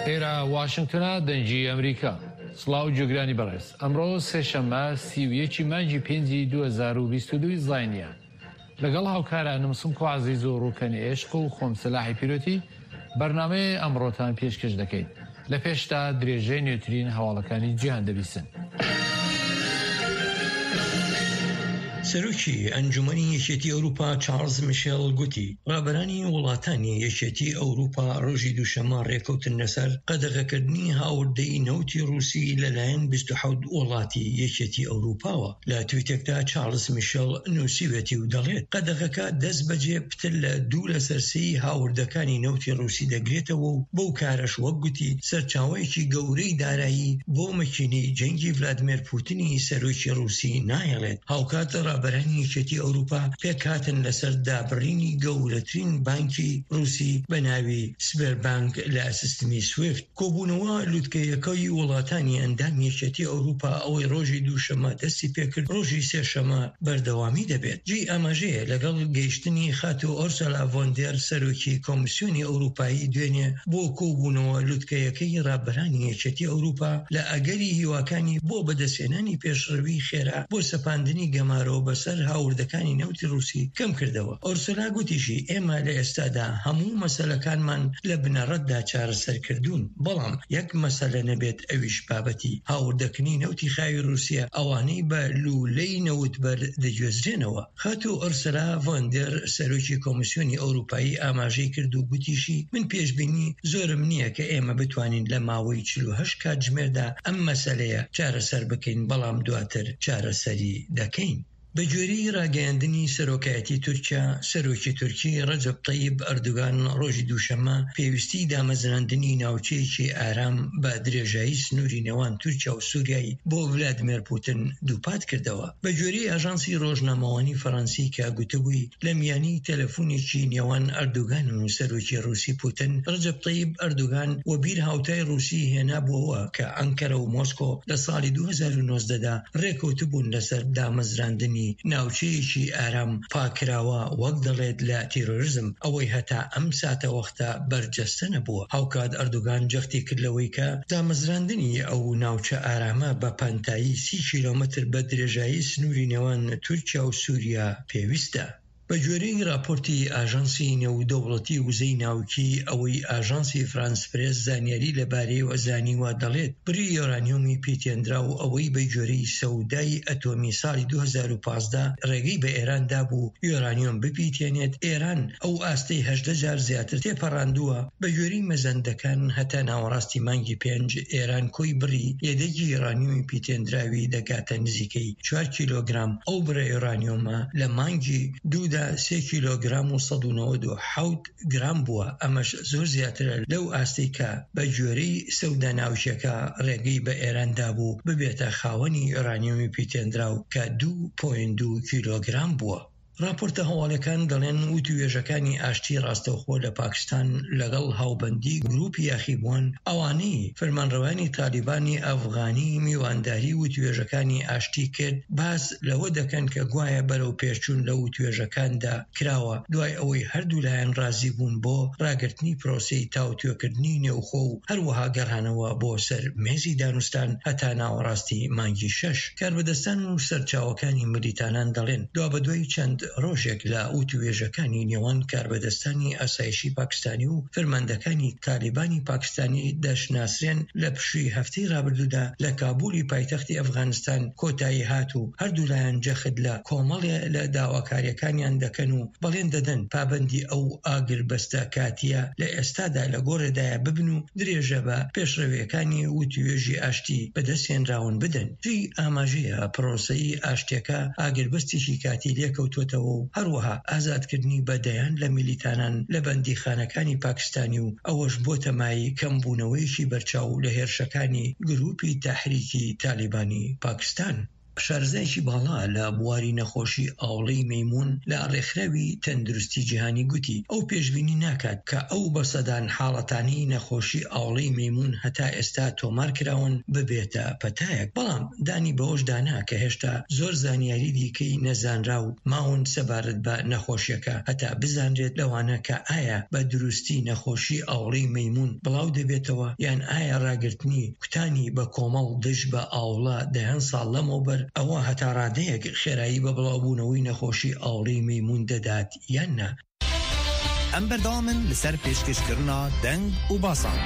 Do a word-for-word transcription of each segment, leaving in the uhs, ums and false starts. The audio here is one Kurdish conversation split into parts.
ئێرە واشنگتنە، دەنگی ئەمریکا. سڵاو جوگرانی بەڕێز. ئەمڕۆ سێشەممە، سی و یەکی مانگی پێنجی دوو هەزار و بیست و دوو زاینیە. لەگەڵ هاوکارە نمسم کو عزیز و ڕووکەنی عێشق و خۆم سلاحی پیرۆتی بەرنامەیە ئەمڕۆتان پێشکەش دەکەین. لە پێشتا درێژەی نوێترین هەواڵەکانی جیهان دەبیسن. سەرۆکی ئەنجومەنی یەکێتی ئەوروپا چارلز میشێل گوتی، ڕابەرانی وڵاتانی یەکێتی ئەوروپا ڕۆژی دووشەممە ڕێکەوتن لەسەر قەدەغەکردنی هاوردەی نەوتی ڕووسی لەلایەن بیست و حەوت وڵاتی یەکێتی ئەوروپاوە. لە تویتێکدا چارلز میشێل نووسیوێتی و دەڵێت، قەدەغەکە دەست بەجێ پتر لە دوو لەسەر سێی هاوردەکانی نەوتی ڕووسی دەگرێتەوە و بەو کارەش، وەک گوتی، سەرچاوەیەکی گەورەی دارایی بۆ مەکینەی جەنگی ڤلادمێر پوتنی سەرۆکی ڕووسی ناهێڵێت. هاوکات ڕابەرانی یەکێتی ئەوروپا پێکهاتن لەسەر دابڕینی گەورەترین بانکی ڕووسی بە ناوی سبێربانک لە سیستمی سویفت. کۆبوونەوە لوتکەیەکەی وڵاتانی ئەندام یەکێتی ئەوروپا، ئەوەی ڕۆژی دووشەممە دەستی پێکرد، ڕۆژی سێشەممە بەردەوامی دەبێت. جێی ئاماژەیە، لەگەڵ گەیشتنی خاتو ئۆرسولا ڤۆندێر، سەرۆکی کۆمیسیۆنی ئەوروپایی، دوێنێ بۆ کۆبوونەوە لوتکەیەکەی ڕابەرانی یەکێتی ئەوروپا، لە ئەگەری هیواکانی بۆ بەدەستهێنانی پێشڕەوی خێرا بۆ سەپاندنی گەمارۆ بەسەر هاوردەکانی نەوتی ڕووسی کەم کردەوە. ئۆرسولا گوتیشی، ئێمە لە ئێستادا هەموو مەسەلەکانمان لە بنەڕەتدا چارەسەر کردوون، بەڵام یەک مەسەلە نەبێت، ئەویش بابەتی هاوردەکردنی نەوتی خاوی ڕووسیە، ئەوانەی بە لوولەی نەوتبەر دەگوێزرێنەوە. خاتو ئۆرسولا ڤۆندێر، سەرۆکی کۆمیسیۆنی ئەوروپایی، ئاماژەی کرد و گوتیشی، من پێشبینی زۆرم نییە کە ئێمە بتوانین لە ماوەی چل و هەشت کاتژمێردا ئەم مەسەلەیە چارەسەر بکەین، بەڵام دواتر چارەسەری دەکەین. بە گوێرەی ڕاگەیاندنی سەرۆکایەتی تورکیا، سەرۆکی تورکی ڕەجەب تەیب ئەردوگان ڕۆژی دووشەممە پێویستی دامەزراندنی ناوچەیەکی ئارام بە درێژایی سنووری نێوان تورکیا و سووریای بۆ ڤلادیمێر پوتن دووپات کردەوە. بە گوێرەی ئاژانسی ڕۆژنامەوانی فەڕەنسی کە گوتبووی، لە میانی تەلەفۆنێکی نێوان ئەردوگان و سەرۆکی ڕووسی پوتن، ڕەجەب تەیب ئەردوگان وەبیر هاوتای ڕووسی هێنابووەوە کە ئەنکەرە و مۆسکۆ لە ساڵی دوو هەزار و نۆزدە دا ڕێکەوتبوون لەسەر دامەزراندنی ناوچەیەکی ئارام پاکراوە، وەک دەڵێت، لە تیرۆریزم، ئەوەی هەتا ئەم ساتە وەختە بەرجەستە نەبووە. هاوکات ئەردوگان جەختی کرد لەوەی کە دامەزراندنی ئەو ناوچە ئارامە بە پانتایی سی کیلۆمەتر بە درێژایی سنووری نێوان تورکیا و سووریا پێویستە. بە گوێرەی راپۆرتی ئاژانسی نێودەوڵەتی وزەی ناوکی، ئەوەی ئاژانسی فرانس پرێس زانیاری لەبارەیەوە زانیوە، دەڵێت، بڕی یۆرانیۆمی پیتێنرا و ئەوەی بە گوێرەی سەودای ئەتۆمی ساڵی دوو هەزار و پازدە ڕێگەی بە ئێران دابوو یۆرانیۆم بپیتێنێت، ئێران ئەو ئاستەی هەژدە جار زیاتر تێپەڕاندووە. بە گوێرەی مەزەندەکان، هەتا ناوەڕاستی مانگی پێنج، ئێران کۆی بڕی یەدەگی یۆرانیۆمی پیتێندراوی دەگاتە نزیکەی چوار کیلۆگرام. ئەو بڕە یۆرانیۆمە لە مانگی دوودا سێ کیلۆگرام و سەد و نەوەد و حەوت گرام بووە. ئەمەش زۆر زیاترە لەو ئاستەی کە بە گوێرەی سەودا ناوچەکە ڕێگەی بە ئێران دابوو ببێتە خاوەنی یۆرانیۆمی پیتێندراو کە دوو پۆینت دوو کیلۆگرام بووە. راپۆرتە هەواڵەکان دەڵێن، وتووێژەکانی ئاشتی ڕاستەوخۆ لە پاکستان لەگەڵ هاوبەندی گروپی یاخیبووان، ئەوانەی فەرمانڕەوانی تالیبانی ئەفغانی میوانداری وتووێژەکانی ئاشتی کرد، باس لەوە دەکەن کە گوایە بەرەو پێشچوون لە وتووێژەکاندا کراوە، دوای ئەوەی هەردوو لایەن ڕازی بوون بۆ ڕاگرتنی پرۆسەی تاوتوێکردنی نێوخۆ و هەروەها گەڕانەوە بۆ سەر مێزی دانوستان هەتا ناوەڕاستی مانگی شەش. کاربەدەستان و سەرچاوەکانی ملیتانان دەڵێن، دوابەدوای چەند ڕۆژێک لە وتووێژەکانی نێوان کاربەدەستانی ئاسایشی پاکستانی و فەرماندەکانی تالیبانی پاکستانی دەشناسرێن، لە پشووی هەفتەی ڕابردوودا لە کابولی پایتەختی ئەفغانستان کۆتایی هات و هەردوو لایەن جەخت لە کۆمەڵێ لە داواکاریەکانیان دەکەن و بەڵێن دەدەن پابەندی ئەو ئاگربەستە کاتیە لە ئێستادا لە گۆڕێدایە ببن و درێژە بە پێشڕەویەکانی وتووێژی ئاشتی بەدەستهێنراون بدەن. جێی ئاماژەیە، پرۆسەی ئاشتیەکە ئاگربەستێکی کاتی لێکەوتوتەوە و هەروەها ئازادکردنی بە دەیان لە میلیتانان لە بەندیخانەکانی پاکستانی و ئەوەش بۆتە مای کەمبوونەوەیەکی بەرچاو لە هێرشەکانی گروپی تەحریکی تالیبانی پاکستان. شارەزایەکی باڵا لە بواری نەخۆشی ئاوڵەی مەیمون لە ڕێکخراوی تەندروستی جیهانی گوتی، ئەو پێشبینی ناکات کە ئەو بەسەدان حاڵەتانەی نەخۆشی ئاوڵەی مەیمون هەتا ئێستا تۆمار کراون ببێتە پەتایەک. بەڵام دانی بەوەش دانا کە هێشتا زۆر زانیاری دیکەی نەزانراو ماون سەبارەت بە نەخۆشیەکە، هەتا بزانرێت لەوانە کە ئایا بە دروستی نەخۆشی ئاوڵەی مەیمون بڵاو دەبێتەوە، یان ئایا ڕاگرتنی کوتانی بە کۆمەڵ دژ بە ئاوڵە دەیان ساڵ لەمەوبەر ئەوە هەتا ڕادەیەک خێرایی بە بڵاوبوونەوەی نەخۆشی ئاوڵەی مەیمون دەدات یان نا. ئەم بەردەوامن لەسەر پێشکەشکردنا دەنگ و باسان.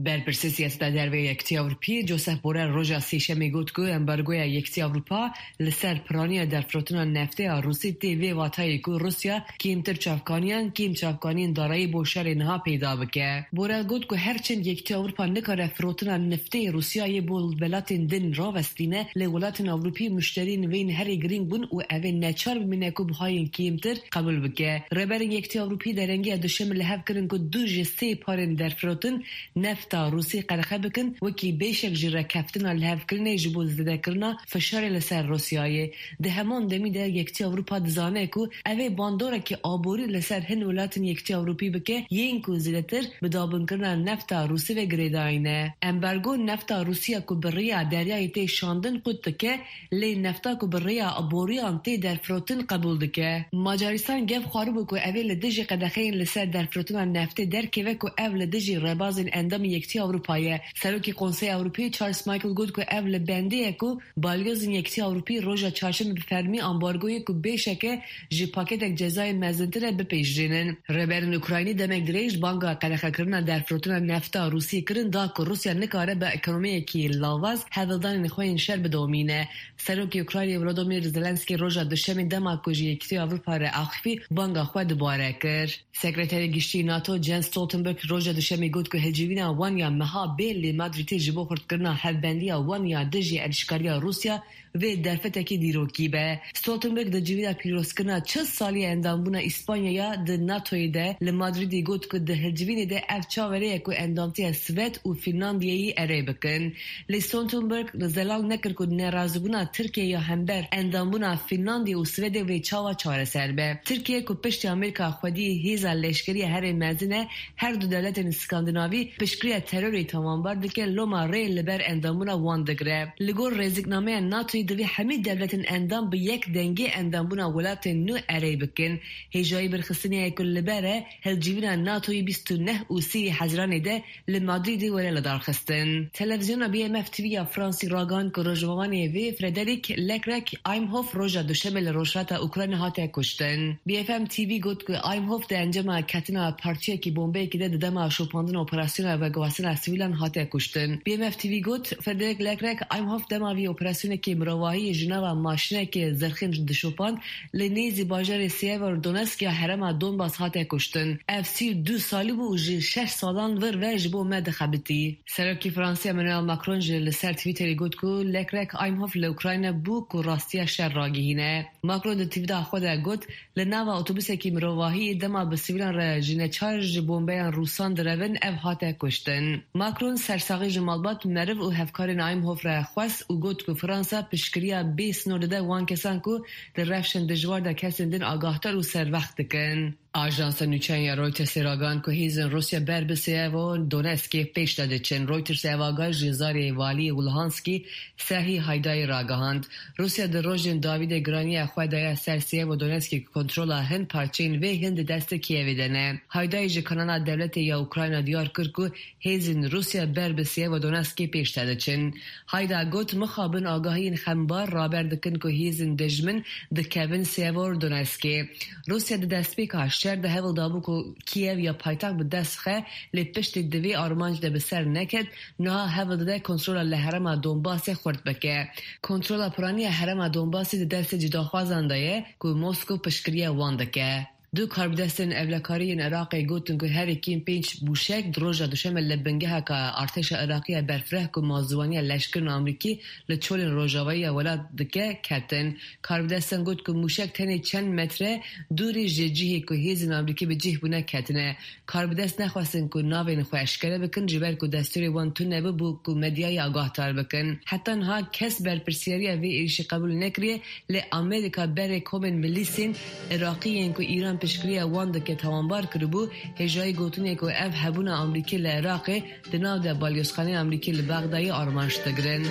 Berpirsê siyaseta derve ya Yekîtiya Ewropî, Josep Borrell, roja Sêşemê got ku embargoya Yekîtiya Ewropa li ser piraniya derfirotina neftê ya Rûsî tê vê vatayê ku Rûsya kêmtir çavkaniyan, kêm çavkaniyên darayî bo şerê niha peyda bike. Borrell got ku her çend Yekîtiya Ewropa nikare firotina neftê Rûsyayê bo welatên din ravestîne, lê welatên Ewropî muşteriyên wê yên herê girîng bûn û ev ê neçar bimîne ku bihayên kêmtir qebûl bike. Rêberên Yekîtiya Ewropî derengiya duşemê li hev kirin ku du ji sê parên derfirotin nefta Rûsî qedexe bikin, wekî beşek ji rêkeftina lihevkirinê ji bo zêdekirina fişarê li ser Rûsyayê. Di heman demî de Yekîtiya Ewropa dizane ku ev ê bandorekî aborî li ser hin welatên Yekîtiya Ewropî bike, yên ku zêdetir bi dabinkirina nefta Rûsî ve girêdayî ne. Embargo nefta Rûsî ya ku bi rêya deryayê tê şandin qut dike, lê nefta ku bi rêya aboriyan tê derfirotin qebûl dike. Macaristan gef xwaribû ku ev ê li dijî qedexeyên li ser derfirotina neftê derkeve ku ev li dijî rêbazên endamên Yekîtiya Ewropa ye. Serokê Konseya Ewropî Charles Michel got ku ev li bendê ye ku balyozên Yekîtiya Ewropî roja çarşemê bi fermî ambargoyê ku bêşek e ji paketek cezayên mezintir e bipejirînin. Rêberên Ukraynî demek dirêj banga qedexekirina derfirotina nefta Rûsî kirin da ku Rûsya nikare bi ekonomiyekî lawaz hevildanên xwe yên şer bidomîne. Serokê Ukraynê Volodymyr Zelensky roja duşemê dema ku ji Yekîtiya Ewropa re axifî banga xwe dubare kir. Sekreterê Giştî NATO Jens Stoltenberg roja duşemê got ku hilcivîna wan ya meha bê li Madrîdê ji bo xurtkirina hevbendiya wan ya dijî êrîşkariya Rûsya vê derfetekî dîrokî be. Stoltenberg di civîna pîrozkirina çil salî ya endambûna Îspanyaya di NATOyê de li Madrîdê got ku di hilcivînê de ev çaverê ye ku endamtiya Swed û Fînlandiyeyî erê bikin. Lê Stoltenberg zelal nekir ku nerazîbûna Tirkiyê ya hember endambûna Fînlandiyê û Swedê vê çawa çareser be. Tirkiye ku piştî Amerîka xwedî hêza leşkerî ya herê mezin e, her du dewletên Skandinavî piştgiriya terorê tawanbar dike, loma rê li ber endambûna wan digire. Li gor rêziknameya NATOyê divê hemî dewletên endam bi yek dengê endambûna welatên nû erê bikin. Hêjayî birxistinê ye ku li ber e hilcivîna NATOyê bîst û neh û sê Hezîranê de li Madrîdê were lidarxistin. Televîzyona B M F T V ya Fransî ragihand ku rojnamevanê vê Frederick Leclerc Imhoff roja duşemê li rojhilata Ukrayna hate kuştin. B F M T V got ku Imhoff di encama ketina partiyekî bombeyekî de di dema şopandina operasyona veguhastina sivîlan hate kuştin. B M F T V got, Frederick Leclerc Imhoff dema vî operasyonekê mirovahiyê ji nava maşînekê zirxên dişopand li nêzî bajarê Severodonetsk ya herêma Donbas hate kuştin. Ev sî û du salî bû û ji şeş salan vir ve ji bo me dixebitî. Serokê Fransî Emmanuel Macron jî li ser Twitterê got ku Leclerc Imhoff li Ukrayna bû ku rastiya şer ragihîne. Macron di tweeta xwe de got, li nava otobuseke mirovahiyê dema bi sivîlan re ji neçar ji bombeyan Rûsan direvin ev hate kuştin. Macron sersaxî ji malbat, meriv û hevkarên Imhoff re xwest û got ku Fransa piştgiriya bê sinor dide wan kesan ku di rewşên dijwar de kesên din agahdar û serwext dikin. Ajansa nûçeyan ya Reutersê ragihand ku hêzên Rûsya ber bi Severodonetskê pêş de diçin. Reuters ev agahî ji zarê waliyê Luhanskê Serhî Haydayê ragihand. Rûsya di rojên dawî de giraniya xwe daye ser Severodonetskê ku kontrola hin parçeyên vê hin di destê Kiyevê de ne. Haydayê ji kanala dewletê ya Ukrayna diyar kir ku hêzên Rûsya ber bi Severodonetskê pêş de diçin. Hayda got, mixabin agahiyên xembar raber dikin ku hêzên dijmin dikevin Severodonetskê. Rûsya di destpêka şer de hewl dabû ku Kiev ya paytext bi dest xe, lê piştî di vê armanc de bi ser neket, niha hewl dide kontrola li herêma Donbasê xurt bike. Kontrola piraniya herêma Donbasê di destê cudaxwazan de ye ku Moskow piştgiriya wan dike. Du karbidestên ewlekarî yên Iraqê gotin ku herî kêm pênc mûşek di roja duşemê li bingeheka artêşa Iraqî ya berfireh ku mazûwaniya leşkerên Amerîkî li çolên rojavayî ya welat dike, ketin. Karbidestan got ku mûşek tenê çend metre dûrî ji cihê ku hêzên Amerîkî bi cih bûne ketine. Karbidest nexwestin ku navên xwe eşkere bikin, ji ber ku destûrê wan tune bû ku medyayê agahdar bikin. Heta niha kes berpirsiyariya vê êrîşê qebûl nekiriye, lê Amerîka berê komên milîsên Iraqî yên ku Îran piştgiriya wan dike tawanbar kiribû, hêjayî gotinê ku ev hebûna Amerîkî li Iraqê di nav de balyozxaneyên Amerîkî li Bexdayê armanc digirin.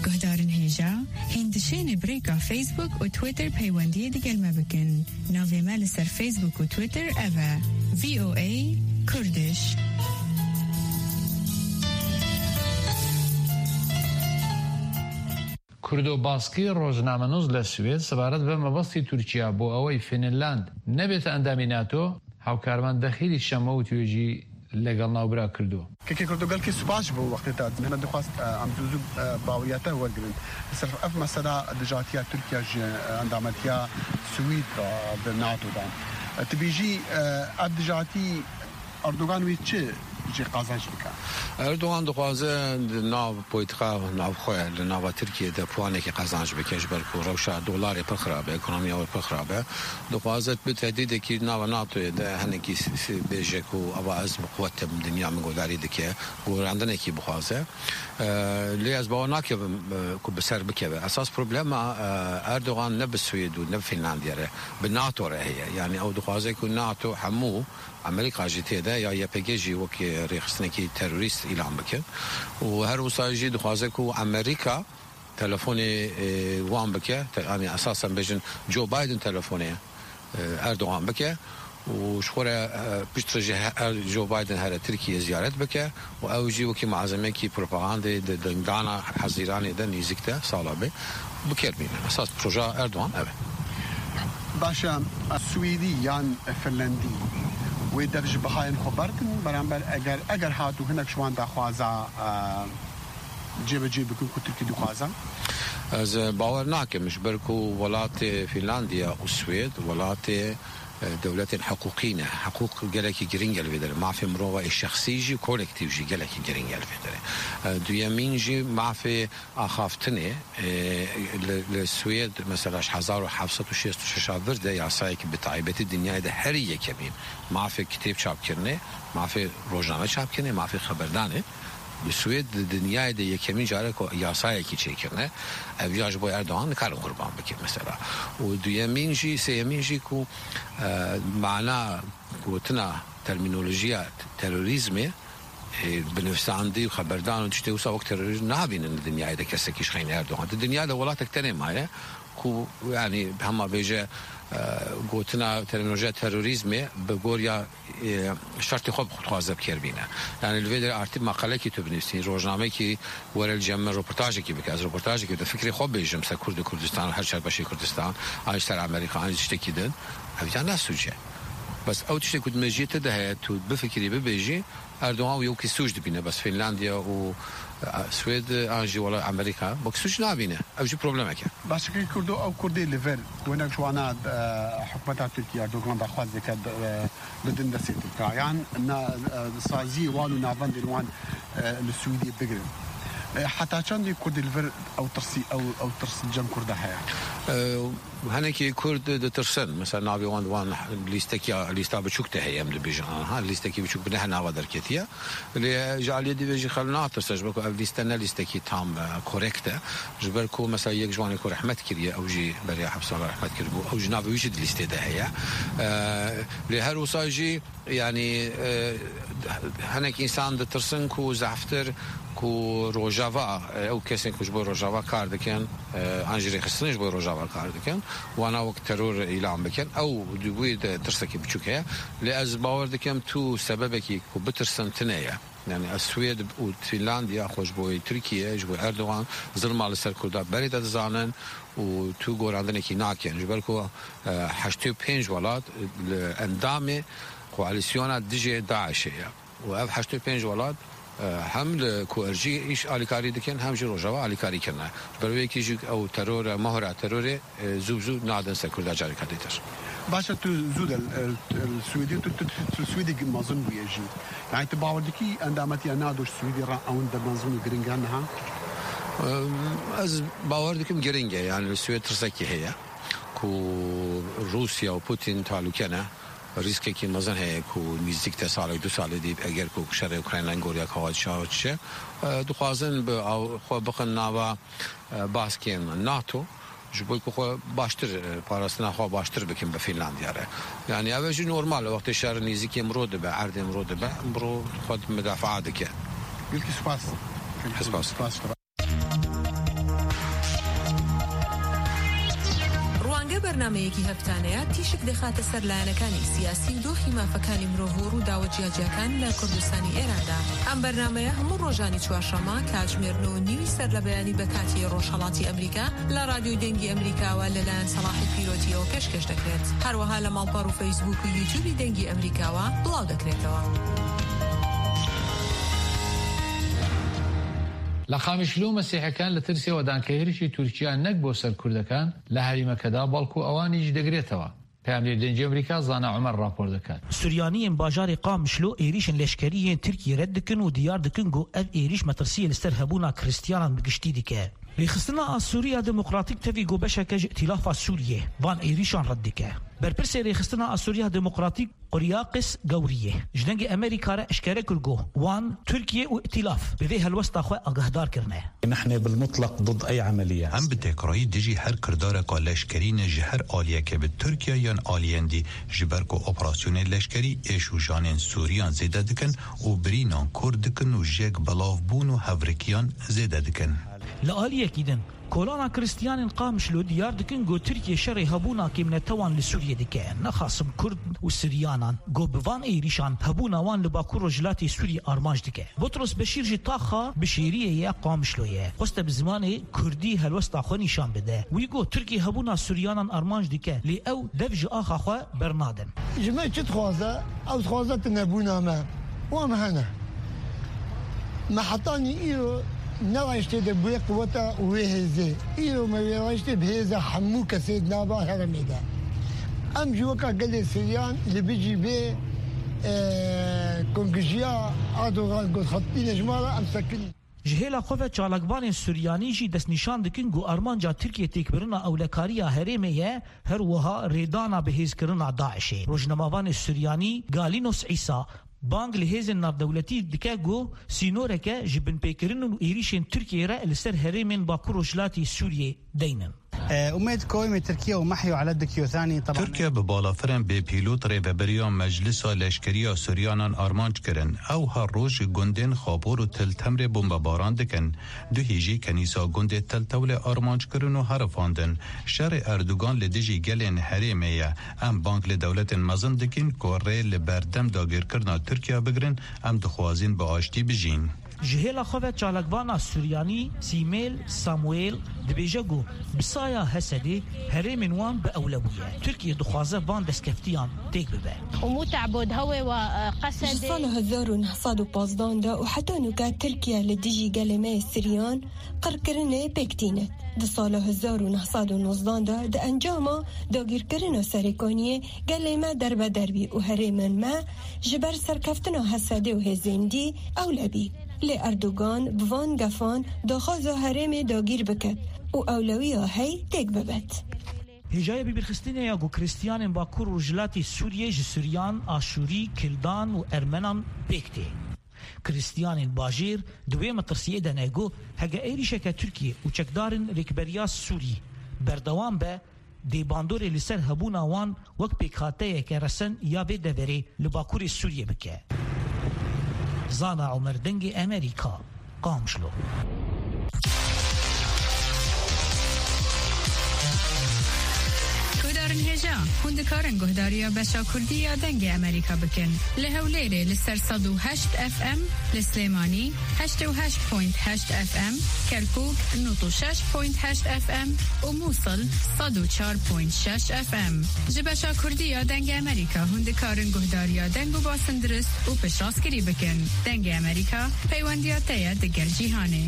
Guhdarên hêja, hîn dişêne bi rêka Facebook û Twitter peywendiyê digel me bikin. Navê me li ser Facebook û Twitter ev e: V O A Kurdish. Kurdo Baskî, rojnamenûs li Swêd, sebaret bi mebestî Tirkiye bo ewey Fînland nebête endamî NATO, hevkarvan Dexîlî Şemo û Tûyecî legel navbera Kurdo. Kekê Kurdo, gelkî spas ji bo wextê te. Me dixwast, e, em zû zû, e, baweriya te wergirin. Sirf ev mesela dijatiya Tirkiye ji, e, endametiya Swêd re di NATO de. E, tu bêjî, e, ev dijatî Erdogan wê çi jê qazanc bike? Erdogan dixwaze di nav politika navxwe, li nava Tirkiyê de puanekî qazanc bike, ji ber ku rewşa dolarê pir xirab e, ekonomiya wê pir xirab e. Dixwaze bi tehdîdekî nava NATOyê de hinekî s-, s-, bêje ku ava ez bi quwet im, dinya min guhdarî dike, gorandinekî bixwaze. E, lê ez bawer nakim, e, ku bi ser bikeve. Esas problema, e, Erdogan ne bi Swêd û ne bi Fînlandiya re, bi NATO re heye. Yani ew dixwaze ku NATO hemû Amerîka jî tê de ya Y P G jî wekî rêxistinekî terorîst îlan bikin. Û her wisa jî dixwaze ku Amerîka telefonê, e, wan bike, te-, yani esasen bêjin Joe Biden telefonê, e, Erdogan bike û ji xwe re, e, piştre jî he-, er-, Joe Biden here Tirkiye ziyaret bike û ew jî wekî malzemekî propagandê di dingdana Hezîranê de nêzîk de sala bê bikermîne. Esas proja Erdogan ev e. Baş e, Swêdî yan Finlandî wê dev ji bihayên xwe berdin, beramber eger, eger hat û hinek ji wan daxwaza, e, cêbicê bikin ku Tirkî dixwaze? Ez, e, bawer nakim, ji ber ku welatê Fînlandiya û Swêd welatê, e, dewletên hiqûqî ne. Hiqûq gelekî girîng e li vê derê. Mafê mirova ê şexsî jî, kolektîv jî gelekî girîng e li vê derê. E, duyemîn jî mafê axaftinê, e, li, li Swêd mesela ji hezar û heft sed û şêst û şeş a vir de yasayekî bi taybetî dinyayê de herî yekemîn mafê kitêb çapkirinê, mafê rojname çapkirinê, mafê xeberdanê. Li Swêd di dinyayê de yekemîn carê ku yasayekî çêkirine, ev ya ji bo Erdogan nikarin qurban bike mesela. Û duyemîn jî, sêyemîn jî ku, e, mana gotina termînolojiya terorîzmê, e, binivîsandî û xeberdan û tiştê wisa wek terorîzm nabînin di dinyayê de kesekî ji xeynî Erdogan. Di dinyayê de welatek tenê maye ku, yani hema bêje, e, gotina termînolojiya terorîzmê bi goriya e, şertê xwe dixwaze bi kêr bîne. Yani li vê derê artî maqalekî tu binivîsî, rojnamekî were li cem min roportajekî bike, ez roportajekî bide, fikrê xwe bêjim ser Kurd û Kurdistan û her çar beşê Kurdistan, an ji ser Amerîka, an ji tiştekî din, ev ya ne sûc e. Bes ew tiştê ku di mejiyê te de heye, tu bifikirî, bibêjî, Erdogan wî wekî sûc dibîne, bes Fînlandiya û, e, Swêd, an jî wela Amerîka, wekî sûc nabîne. Ev jî problemek e. Başikê Kurdo, ew Kurdê li vir, ku hinek ji wana, e, hikûmeta Tirkiye Erdogan daxwaz dike, e, bidin destê Tirka, yan na, e, saziyê wan û navendên wan, e, li Swîdê bigirin. E, heta çendê Kurdê li vir ew tirsî, ew, ew tirs li cem Kurda heye? E, hinekî Kurd ditirsin. Mesela navê wan, wan lîstekî, lîsta biçûk de heye, em dibêjin. Aha, lîstekî biçûk bi neh nava derketiye. Lê ji aliyê dî ve jî xelk natirse, ji ber ku ev lîste ne lîstekî tam, e, korekt e. Ji ber ku mesela yek ji wan ê ku rehmet kiriye, ew jî beriya hepsan re rehmet kiribû. Ew jî navê wî jî di lîstê de heye. E, lê her wisa jî, yanî, e, hinek însan ditirsin ku zehftir ku Rojava, e, ew kesên ku ji bo Rojava kar dikin, e, an jî rêxistinê ji bo Rojava kar dikin, wana wek teror îlan bikin. Ew di wî de tirsekî biçûk heye. Lê ez bawer dikim tu sebebekî ku bitirsin tune ye. Yani ez Swêd û Fînlandiya xwe ji bo Tirkiye, ji bo Erdogan zilma li ser Kurda berê de dizanin û tu gorandinekî nakin. Ji ber ku, e, heştê û pênc welat li endamê koalîsyona dijê DAIŞê ye. Û ev heştê û pênc welat Hem li Kuerjî îş alîkarî dikin, hem jî Rojava alîkarî kirine. Ji ber wê yekê jî ew teror e, mohra terorê, e, zû bi zû nadin ser Kurda careke dîtir. Baş e, tu zû de li, li, li Swêdê, tu, tu, tu Swêdê mezin bûye jî. Yani tu bawer dikî endametiya NATO ji Swêdê re ewin de mezin û giring e niha? Em, ez bawer dikim giring e, yani li Swêd tirsekî heye ku Rûsya û Putin talûke ne. Rîskekî mezin heye ku nîzdîk te salek du salê dî eger ku şerê Ukrayna goriya kawa çawa çi, e, dixwazin bi aw-, xwe bixin nava, e, baskên NATO, ji bo ku xwe baştir, e, parastina xwe baştir bikin bi Fînlandiya re. Yani ev jî normal e, wextê şer nîzîkê miro dibe, erdê miro dibe, miro xwe mudafaa dike. Gelkî spas. Spas. Spas. ڕوانگە بەرنامەیەکی هەفتانەیە تیشک دەخاتە سەر لایەنەکانی سیاسی و دۆخی مافەکانی مرۆڤ و ڕووداوە جیاجیاکان لە کوردستانی ئێراندا. ئەم بەرنامەیە هەموو ڕۆژانی چوارشەممە کاتژمێر نۆ و نیوی سەر لە بەیانی بە کاتی ڕۆژهەڵاتی ئەمریکا لە ڕادیۆی دەنگی ئەمریکاوە لەلایەن سەڵاحی پیرۆتیەوە پێشکەش دەکرێت. هەروەها لە ماڵپەڕ و فەیسبوک و یوتیوبی دەنگی ئەمریکاوە بڵاو دەکرێتەوە. لە قامیشلو مەسیحەکان لە ترسێوە دان کە هێرشی تورکیا نەک بۆ سەر کوردەکان لە هەریمەکەدا، بەڵکو ئەوانیش دەگرێتەوە. پەیامنێر دەنگی ئەمریکا زانا عومەر راپۆر دەکات. سوریانیên bajarê Qamişlo êrîşên leşkerî yên Tirkiyê red dikin û diyar dikin ku ev êrîş metirsiyê li ser hebûna Kristiyanan bi giştî dike. Rêxistina a Sûriya Demokratîk tevî ku beşeke ji Îtîlafa Sûriyê van êrîşan red dike. Berpirsê Rêxistina a Sûriya Demokratîk Quryaqis Gewriyê ji Dengê Emerîka re eşkere kir ku wan Tirkiye û Îtîlaf bi vê helwesta xwe agahdar kirine. نحن بالمطلق ضد أي عملية. Em bi tekrarî dijî her kirdareka leşkerî ne ji her aliyekê bi Tirkiye yan aliyên dî, ji ber ku operasyonên leşkerî êş û janên Sûriyan zêde dikin û birînan kurt dikin û jêk belavbûn û hevrikiyan zêde dikin. Li aliyekî din, Kolana Kristiyanên Qamişlo diyar dikin ku Tirkiye şerê hebûna kêmnetewan li Sûriyê dike. Nexasim Kurd û Siryanan ku bi van êrîşan hebûna wan li Bakur Rojhilatê Sûriyê armanc dike. Butros Beşîr ji taxa Bişêriyê ye, Qamişlo ye. Xweste bi zimanê Kurdî helwesta xwe nîşan bide. Wî got, Tirkiye hebûna Siryanan armanc dike, lê ew dev ji axa xwe bernadin. Ji me çi dixwaze? Ew dixwaze tunebûna me. Wan hene. Me hetanî îro ne rayiştê de bûye quweta wê hêzê. Îro me wê rayiştê bi hêza hemû kesê di nava herêmê de. Em jî weka gelê Siryan li bijî vê, e, kongijiya Erdogan got xetîne ji me re em sekinî. Ji hêla xwe ve çalakvanên Suryanî jî destnîşan dikin ku armanca Tirkiye têkbirina ewlekariya herêmê ye, her wiha rêdana bihêzkirina DAIŞê. Rojnamevanê Suryanî Galinos Îsa bang li hêzên navdewletî dike ku sînoreke ji binpêkirin û êrîşên Tirkiyê re li ser herêmên Bakur Rojhilatî Sûriyê deynin. أمية كويمة تركيا ومحيو على الدكيوثاني طبعا. Tirkiye bi balafirên bêpîlot rêveberiya Meclisa Leşkerî ya Suryanan armanc kirin. Ew her roj gundên Xapor û Til Temrê bombebaran dikin. Duhî jî kenîsa gundê Tel Tewlê armanc kirin û herifandin. Şerê Erdogan li dijî gelên herêmê ye. Em bang li dewletên mezin dikin ku rê li berdem dagirkirina Tirkiye bigirin, em dixwazin bi aştî bijîn. Ji hêla xwe ve çalakvana Suryanî Sîmêl Samuel dibêje ku bi saya Hesedê herêmên wan bi ewle bûye. Tirkiye dixwaze van destkeftiyan têk bibe. ومو تعبد هوي وقسد. Ji sala hezar û neh sed û pazdan de û heta nûke Tirkiye li dijî gelê me yê Siryan qirkirinê pêk tîne. Di sala hezar û neh sed û nozdan de di encama dagîrkirina Serêkaniyê gelê me derbeder bî û herêmên me ji ber serkeftina Hesedê û hêzên dî ewle bî. Lê Erdogan bi van gefan daxwaza herêmê dagîr biket û ewlewiya hey têk bibet. Hêjayê bibîrxistinê ya ku Kristiyanên Bakur û Rojhilatê Sûriyê ji Suryan, Aşûrî, Kildan û Ermenan pêk tê. Kristiyanên bajêr di wê metirsiyê de ne ku heke êrîşeke Tirkiyê û çekdarên Rêkberiya Sûrî berdewam be, dê bandorê li ser hebûna wan wek pêkhateyeke resen ya vê deverê li Bakurê Sûriyê bike. Zana Omer, Dengê Emerîka, Qamişlo. Hêja, hûn dikarin guhdariya beşa Kurdî ya Dengê Amerîka bikin. Li Hewlêrê li ser sed û heşt F M, li Silêmanî heştê û heşt point heşt F M, Kerkûk nod û şeş point heşt F M û Mûsil sed û çar point şeş F M. Ji beşa Kurdî ya Dengê Amerîka hûn dikarin guhdariya deng û basindirist û piştrast- Rastgirî bikin. Dengê Amerîka, peywendiya te ye digel cîhanê.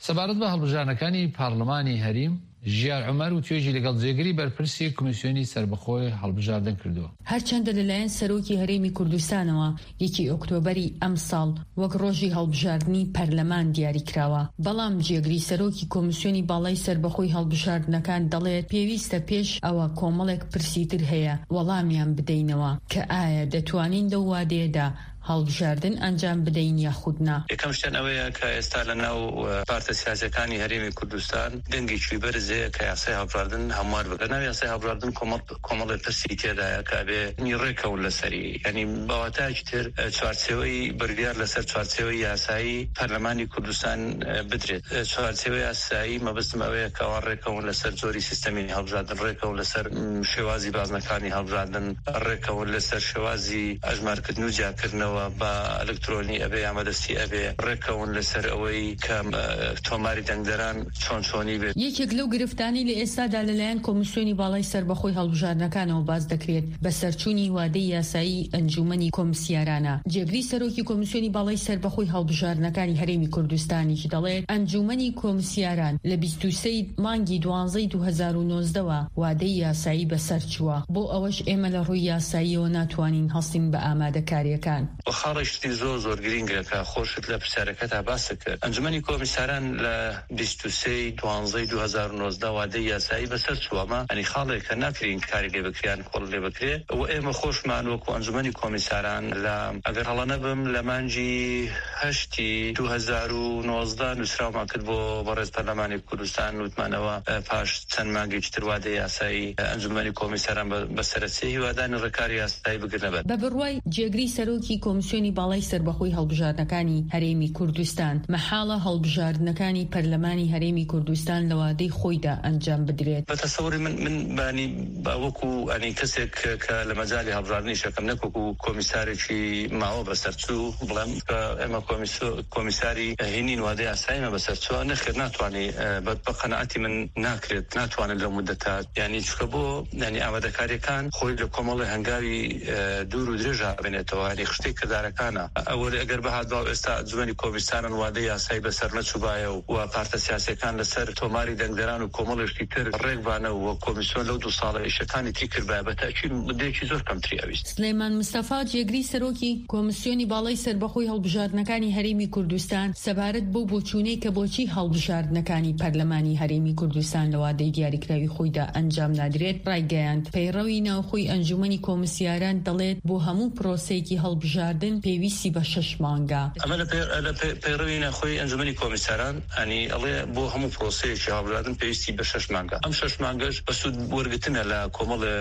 سەبارەت بە هەڵبژاردنەکانی پارلمانی هەریم، ژیار عومەر و توێژی لەگەڵ جێگری بەرپرسی کمیسیۆنی سربەخۆی هەڵبژاردن کردووە. هەرچەندە لەلایەن سەرۆکی هەرێمی کوردستانەوە یەکی ئۆکتۆبەری ئەم ساڵ وەک ڕۆژی هەڵبژاردنی پەرلەمان دیاری کراوە، بەڵام جێگری سەرۆکی کۆمیسیۆنی باڵای سەربەخۆی هەڵبژاردنەکان دەڵێت پێویستە پێش ئەوە کۆمەڵێک پرسی تر هەیە وەڵامیان بدەینەوە کە ئایا دەتوانین لەو وادەیەدا هەڵبژاردن ئەنجام بدەین یاخود نا. یەکەم شتیان ئەوەیە کە ئێستا لە ناو، ئە، پارتە سیاسیەکانی هەرێمی کوردستان دەنگێکی بەرز هەیە کە یاسای هەڵبژاردن هەموار بکە. لە ناو یاسای هەڵبژاردن کۆمەڵ-، کۆمەڵێ پرسی تێدایە کە ئەبێ ڕێکەون لەسەری. یعنی بەواتایەکی تر، ئە، چوارچێوەی بڕیار لەسەر چوارچێوەی یاسایی پەرلەمانی کوردستان، ئە، بدرێت. ئە، چوارچێوەی یاسایی مەبەستم ئەوەیە کە ئەوان ڕێکەون لەسەر جۆری سیستەمی هەڵبژاردن، ڕێکەون لەسەر، م، شێوازی بازنەکانی هەڵبژاردن، ڕێکەون لەسەر شێوازی ئەژمارکردن و جیاکردنەوە بە ئەلکترۆنی ئەبێ یا مەدەستی ئەبێ، ڕێکەون لەسەر ئەوەی کە، ئە، تۆماری دەنگدەران چۆن چۆنی بێت. یەکێک لەو گرفتانەی لە ئێستادا لەلایەن کۆمیسیۆنی باڵای سەربەخۆی هەڵبژاردنەکانەوە باس دەکرێت، بەسەرچوونی وادەی یاسایی ئەنجومەنی کۆمسیارانە. جێگری سەرۆکی کۆمیسیۆنی باڵای سەربەخۆی هەڵبژاردنەکانی هەرێمی کوردستانیش دەڵێت، ئەنجومەنی کۆمسیاران لە بیست و سێی مانگی دوانزەی دوو هەزار و نۆزدەوە وادەی یاسایی بەسەر چووە. بۆ ئەوەش ئێمە لە ڕووی یاساییەوە ناتوانین هەستین بە ئامادەکاریەکان. و خاڵێکی زۆر زۆر گرینگە کە خۆشت لە پرسیارەکەتا باست کرد. ئەنجومەنی کۆمیساران لە بیست و سێی دوانزەی دوو هەزار و نۆزدە وادەی یاسایی بەسەر چووە. ئەمە، یعنی، خاڵێک کە ناکرین کاری لێ بکریان کۆڵ لێ بکرێ. و ئێمە خۆشمان وەکو ئەنجومەنی کۆمیساران لە، ئەگەر هەڵە نەبم، لە مانگی هەشتی دوو هەزار و نۆزدە نووسراومان کرد بۆ بەڕێز پەرلەمانی کوردستان، وتمانەوە، ئە، پاش چەند مانگێکی تر وادەی یاسایی، ئە، ئەنجومەنی کۆمیساران بە، بە سەرەسیە هیوادانی ڕێکاری یاسایی بگرنە بەر. بە بڕوای جێگری سەرۆکی کۆمیسیۆنی باڵای سەربەخۆی هەڵبژاردنەکانی هەرێمی کوردستان، مەحاڵە هەڵبژاردنەکانی پەرلەمانی هەرێمی کوردستان لە وادەی خۆیدا ئەنجام بدرێت. بە تەسەوری من، من بانی بە وەکو، ئەنی، کەسێک کە، کە لە مەجای هەڵبژاردنی شەکەم، نەک وەکو کۆمیسارێکی ماوە بەسەرچوو، بڵێم کە ئێمە کۆمیسیۆ-، کۆمیساری هینین وادەی یاساییمە بەسەرچووە. نەخێر، ناتوانێ، ئە، بە، بە قەنەعەتی من ناکرێت، ناتوانێت لەو مدەتە، یعنی، چکە بۆ، یعنی، ئامادەکاریەکان خۆی لە کۆمەڵی هەنگاوی، ئە، دوور و درێژ هاوێنێتەوە، یعنی، خشتەی کردارەکانە. ئەوە ئەگەر بهات باو ئێستا ئەنجومەنی کۆمیساران وادەی یاسایی بەسەر نەچوبایە و، و پارتە سیاسیەکان لەسەر تۆماری دەنگدەران و کۆمەڵێشتی تر ڕێک بانە و کۆمیسیۆن لەو دوو ساڵە ئیشەکانی تی کردبایە، بە تاکید مدەیەکی زۆر کەمتری ئەویست. سلێمان مستەفا، جێگری سەرۆکی کۆمیسیۆنی باڵای سەربەخۆی هەڵبژاردنەکانی هەرێمی کوردستان، سەبارەت بۆ بۆچوونەی کە بۆچی هەڵبژاردنەکانی پەرلەمانی هەرێمی کوردستان لە وادەی دیاریکراوی خۆیدا ئەنجام نادرێت، ڕایگەیاند پەیڕەوی ناوخۆی ئەنجومەنی کۆمیسیاران دەڵێت بۆ هەموو پرۆسەیەکی هەڵبژاردن پێویستی بە شەش مانگە. ئەمە لە پەی-، لە پەی-، پەیڕەوی ناوخۆی ئەنجومەنی کۆمیساران، ئەنی ئەڵێ بۆ هەموو پرۆسەیەکی هەڵبژاردن پێویستی بە شەش مانگە. ئەم شەش مانگەش بە سوود وەرگرتنە لە کۆمەڵ، ئە،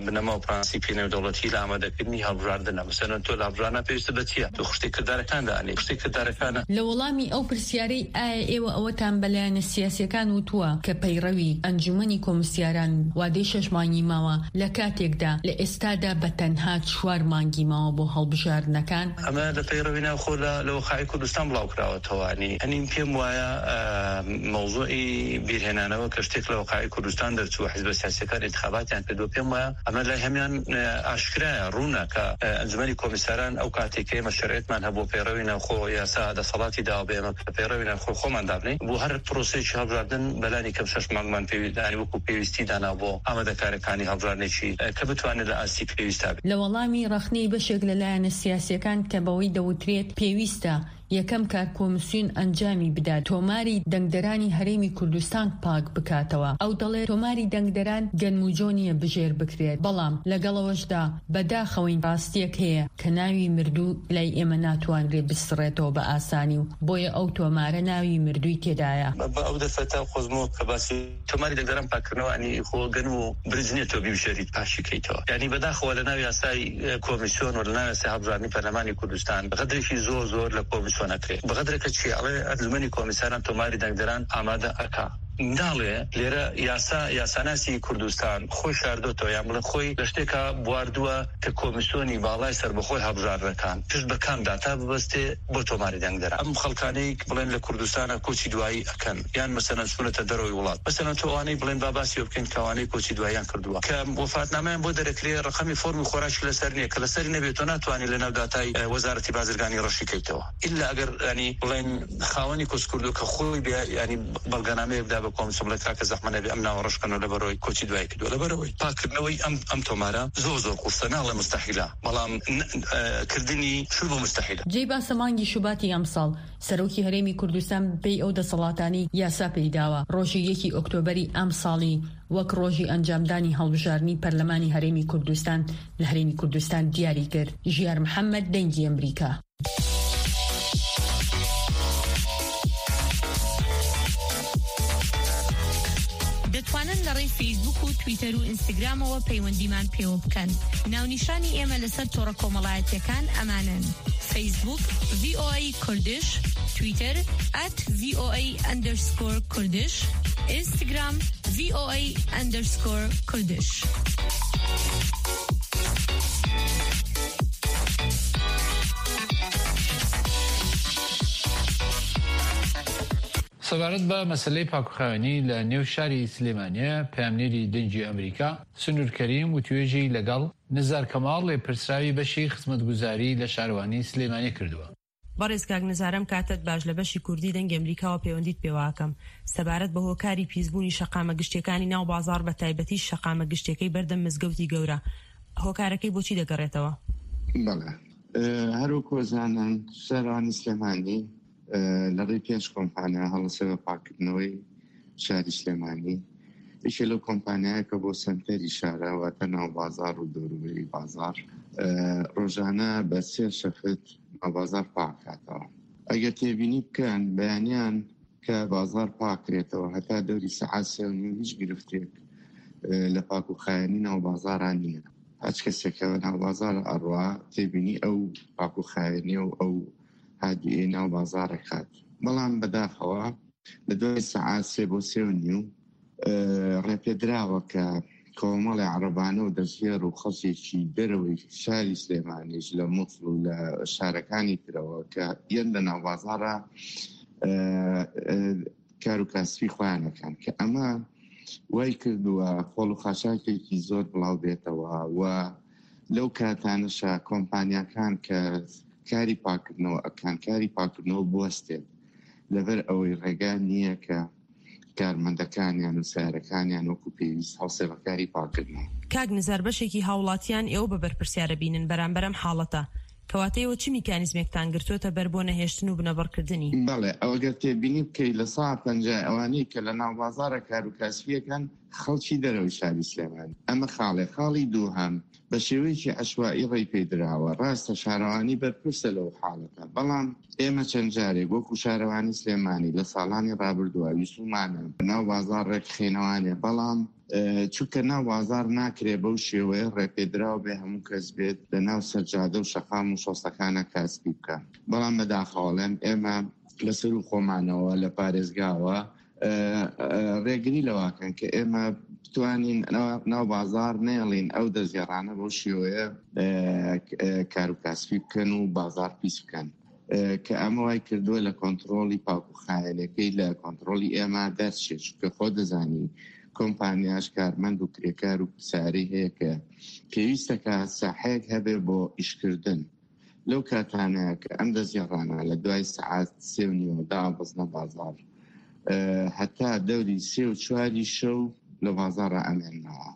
بنەما و پرەنسیپی نێودەوڵەتی لە ئامادەکردنی هەڵبژاردنە. مەسەلەن تۆ لە هەڵبژاردنە پێویستە بە چییە؟ تۆ خشتەی کردارەکان دانێ. خشتەی کردارەکانە. لە وەڵامی ئەو پرسیارەی ئایا ئێوە ئەوەتان بە لایەنە سیاسیەکان وتووە کە پەیڕەوی ئەنجومەنی کۆمیسیاران وادەی شەش مانگی ماوە، لە کاتێکدا لە ئێستادا بە تەنها چوار مانگی ماوە بۆ هەڵبژاردنەکان؟ ئەمە لە پەیڕەوی ناوخۆ لە، لە وەقاعی کوردستان بڵاو کراوەتەوە. یعنی، ئەنی پێم وایە، ئە، مەوزوعی بیرهێنانەوە کە شتێک لە وەقاعی کوردستان دەرچووە، حیزبە سیاسیەکان انتخاباتیان کردووە، پێم وایە ئەمە لای هەمیان، ئە، ئاشکرایە، ڕوونە کە، ئە، ئەنجومەنی کۆمیساران ئەو کاتێک کە ئێمە شەرعێتمان هەبوو پەیڕەوی ناوخۆ یاسا دەسەڵاتی داوە بە ئێمە کە پەیڕەوی ناوخۆ خۆمان دابنێ، بۆ هەر پرۆسەیەکی هەڵبژاردن بەلانی کەم شەش مانگمان پێوی-، یعنی وەکو پێویستی دانا بۆ ئامادەکاریەکانی هەڵبژاردنێکی، ئە، کە بتوانێت لە ئاستی پێویستا بێت. لە وەڵامی ڕەخنەی بەشێک لە لایەنە سیاسیەکان کە بەوەی دەوترێت پێویستە یەکەم کار کۆمیسیۆن ئەنجامی بدات تۆماری دەنگدەرانی هەرێمی کوردستان پاک بکاتەوە. ئەو دەڵێت تۆماری دەنگدەران گەنموجۆ نییە بژێر بکرێت، بەڵام لەگەڵەوەشدا بەداخەوەین ڕاستیەک هەیە کە ناوی مردوو لای ئێمە ناتوانرێت بسڕێتەوە بە ئاسانی و بۆیە ئەو تۆمارە ناوی مردووی تێدایە. بە، بە ئەو دەرفەتە قۆزمۆ کە باسی تۆماری دەنگدەران پاکردنەوە، ئەنی خۆ گەن و برنج نییە تۆ بیبژێریت پاشی کەیتەوە. یعنی بەداخەوە لە ناو یاسای، ئە، کۆمیسیۆن و لە ناو یاسای هەڵبژاردنی پەرلەمانی کوردستان غەدرێکی زۆر زۆر لە کۆمیسیۆن تۆ نەکرێ. بەغەدرێکە چی ئەڵێ ئەنجومەنی کۆمیساران تۆماری دەنگدەران ئامادە ئەکا. ناڵێ لێرە یاسا، یاساناسی کوردستان خۆی شاردۆتەوە، یان بڵێ خۆی لە شتێکا بواردووە کە کۆمیسیۆنی باڵای سەربەخۆی هەڵبژاردنەکان پشت بە کام داتا ببەستێ بۆ تۆماری دەنگدەران. ئەم خەڵکانەی کە بڵێن لە کوردستانە کۆچی دوایی ئەکەن، یان مەسەلەن چوونەتە دەرەوەی وڵات. مەسەلەن تۆ ئەوانەی بڵێن با باسی ئەوە بکەین کە ئەوانەی کۆچی دواییان کردووە، کە وەفاتنامەیان بۆ دەرەکرێ، ڕەقەمی فۆرمی خۆراکی لەسەر نییە، کە لەسەری نەبێت تۆ ناتوانانی لە ناو داتای، ئە، وەزارەتی بازرگانی ڕەشی کەیتەوە. ئللا ئەگەر، ینی، بڵێن خاوەنی کۆچکردووە کە خۆی بێ، ینی، بەڵگەنامەیە بدا بە کۆمسیۆن، بڵێ کاکە زەحمە نەبێ ئەم ناوە ڕەش کەنەوە لەبەرەوەی کۆچی دوایی کردووە. لەبەرەوەی پاککردنەوەی ئەم، ئەم تۆمارە زۆر زۆر قورسە، ناڵێ مستەحیلە، بەڵام ن-، ئە، کردنی شوو بۆ مستەحیلە. جێی باسە مانگی شوباتی ئەمساڵ سەرۆکی هەرێمی کوردستان بەپێی ئەو دەسەڵاتانەی یاسا پێی داوە، ڕۆژی یەکی ئۆکتۆبەری ئەمساڵی وەک ڕۆژی ئەنجامدانی هەڵبژاردنی پەرلەمانی هەرێمی کوردستان لە هەرێمی کوردستان دیاری کرد. ژیار محەممەد، دەنگی ئەمریکا. دەتوانن لە ڕێی فەیسبوک و تویتەر و ئینستاگرامەوە پەیوەندیمان پێوە بکەن. ناونیشانی ئێمە لەسەر تۆڕە کۆمەڵایەتیەکان ئەمانەن: فەیسبوک، ڤی ئۆ ئەی کوردش، تویتەر، ئەت ڤی ئۆ ئەی ئەندەرسکۆر کوردش، ئینستاگرام، ڤی ئۆ ئەی ئەندەرسکۆر کوردش. سەبارەت بە مەسەلەی پاکوخاوێنی لە نێو شاری سلێمانیە، پەیامنێری دەنگی ئەمریکا، سنوور کەریم، وتوێژی لەگەڵ نزار کەماڵ، لێپرسراوی بەشی خزمەتگوزاری لە شارەوانی سلێمانی کردووە. بەڕێز کاک نزار، ئەم کاتەت باش، لە بەشی کوردی دەنگی ئەمریکاوە پەیوەندیت پێوە ئەکەم. سەبارەت بە هۆکاری پیسبوونی شەقامە گشتیەکانی ناو بازار، بە تایبەتی شەقامە گشتیەکەی بەردەم مزگەوتی گەورە، هۆکارەکەی بۆچی دەگەڕێتەوە؟ بەڵێ. ئێ، هەر وەکو زانن، شارەوانی سلێمانی، ئێ، لە ڕێی پێنج کۆمپانیا هەڵەسێ بە پاکردنەوەی شاری سلێمانی. یەکێ لەو کۆمپانیایە کە بۆ سەنتەری شارە، واتە ناو بازار و دەوروبەری بازار، ئێ، ڕۆژانە بە سێ شەفت ناو بازار پاکاتەوە. ئەگەر تێبینی بکەن، بەیانیان کە بازار پاکرێتەوە، هەتا دەوری سەعات سێ و نیو هیچ گرفتێک، ئێ، لە پاک و خایەنی ناو بازاران نییە. هەچ کەسێکەوە ناو بازار ئەڕوا تێبینی ئەو پاک و خایەنی و ئەو هادویەی ناو بازارە کات. بەڵام بەداخەوە لە دوای سەعات سێ بۆ سێ و نیو، ئێ، ڕێپێدراوە کە کۆمەڵی عەرەبانە و دەستێر و خەڵکێکی دەرەوەی شاری سلێمانیش لە موسڵ و لە شارەکانی ترەوە کە یەن لە ناو بازارە، ئێ، ئێ، کار و کاسبی خۆیان ئەکەن، کە ئەمە وای کردووە خۆڵ و خاشاکێکی زۆر بڵاو بێتەوە و لەو کاتانەشە کۆمپانیاکان کە کاری پاکردنەوە ئەکەن، کاری پاکردنەوە بوەستێت، لەبەر ئەوەی ڕێگا نییە کە کارمەندەکانیان و سیارەکانیان وەکو پێویست هەڵسێ بە کاری پاکردنەوە. کاک نزار، بەشێکی هاوڵاتیان ئێوە بە بەرپرسیارە بینن بەرامبەر ئەم حاڵەتە، کەواتە ئێوە چ میکانیزمێکتان گرتووەتە بەر بۆ نەهێشتن و بنەبڕکردنی؟ بەڵێ، ئەوەگەر تێبینی بکەی لە سەعات پەنجا ئەوانەی کە لە ناو بازارە کار و کاسبیەکەن خەڵکی دەرەوەی شاری سلێمانی. ئەمە خاڵێ. خاڵی دووهەم، بە شێوەیەکی عەشوایی ڕێی پێدراوە. ڕاستە شارەوانی بەرپرسە لەو حاڵەتە، بەڵام ئێمە چەند جارێک وەکو شارەوانی سلێمانی لە ساڵانی ڕابردووە ویسومانە ناو بازار ڕێکخێنەوانێ، بەڵام، ئێ، چونکە ناو بازار ناکرێ بەو شێوەیە ڕێپێدراو بێ هەموو کەس بێت لە ناو سەرجادە و شەقام و شۆستەکانە کاسبی بکە. بەڵام بەداخەوەڵێن ئێمە لەسەر و خۆمانەوە لە پارێزگاوە، ئێ، ئێ، ڕێگری لەواکەن کە ئێمە بتوانین ناو، ناو بازار نێڵین ئەو دەستگێڕانە بەو شێوەیە، ئێ، ئێ، کار و کاسبی بکەن و بازار پیس بکەن. ئێ، کە ئەمە وای کردووە لە کۆنترۆڵی پاک و خایەنەکەی لە کۆنترۆڵی ئێمە دەرچێت، چونکە خۆ دەزانی کۆمپانیاش کارمەند و کرێکار و پرسیارەی هەیە کە پێویستە کە ساحەیەک هەبێ بۆ ئیشکردن. لەو کاتانەیە کە ئەم دەستگێڕانە لە دوای سەعات سێ و نیوە دابەزنە بازار، ئێ، هەتا دەوری سێ و چواری شەو لە بازارە ئەمێننەوە.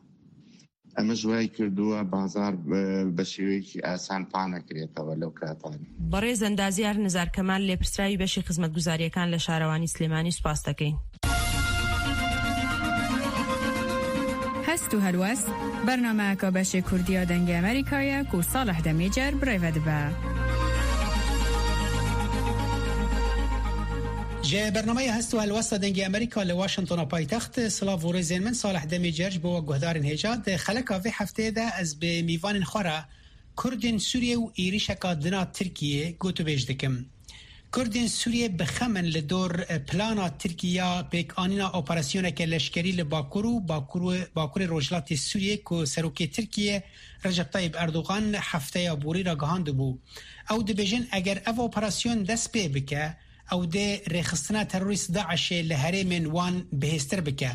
ئەمە ژوای کردووە بازار بە، بە شێوەیەکی ئاسان پانەکرێتەوە لەو کاتانە. بەڕێز ئەندازیار نزار کەمال، لێپرسراوی بەشی خزمەتگوزاریەکان لە شارەوانی سلێمانی، سوپاس دەکەین. هەست و هەلوەست، بەرنامەیەکە بەشێ کوردیە دەنگی ئەمریکایە کو ساڵح دەمێجەر برێوە دبە. Ji bernameya Hest û Helwesta Dengê Amerîka li Washingtona paytext, silav û rêzên min, Salih Demîcer ji bo we guhdarên hêja. Di xeleka vê hefteyê de ez bi mîvanên xwe re Kurdên Sûriyê û êrîşeka dina Tirkiyê gotûbêj dikim. Kurdên Sûriyê bi xem in li dor plana Tirkî ya pêkanîna operasyoneke leşkerî li Bakur û Bakur, Bakurê Rojhilatê Sûriyê ku serokê Tirkiyê Recep Tayyip Erdogan hefteya borî ragihandibû. Ew dibêjin, eger ev operasyon dest pê bike, ew dê rêxistina terorîst DAIŞê li herêmên wan bihêztir bike.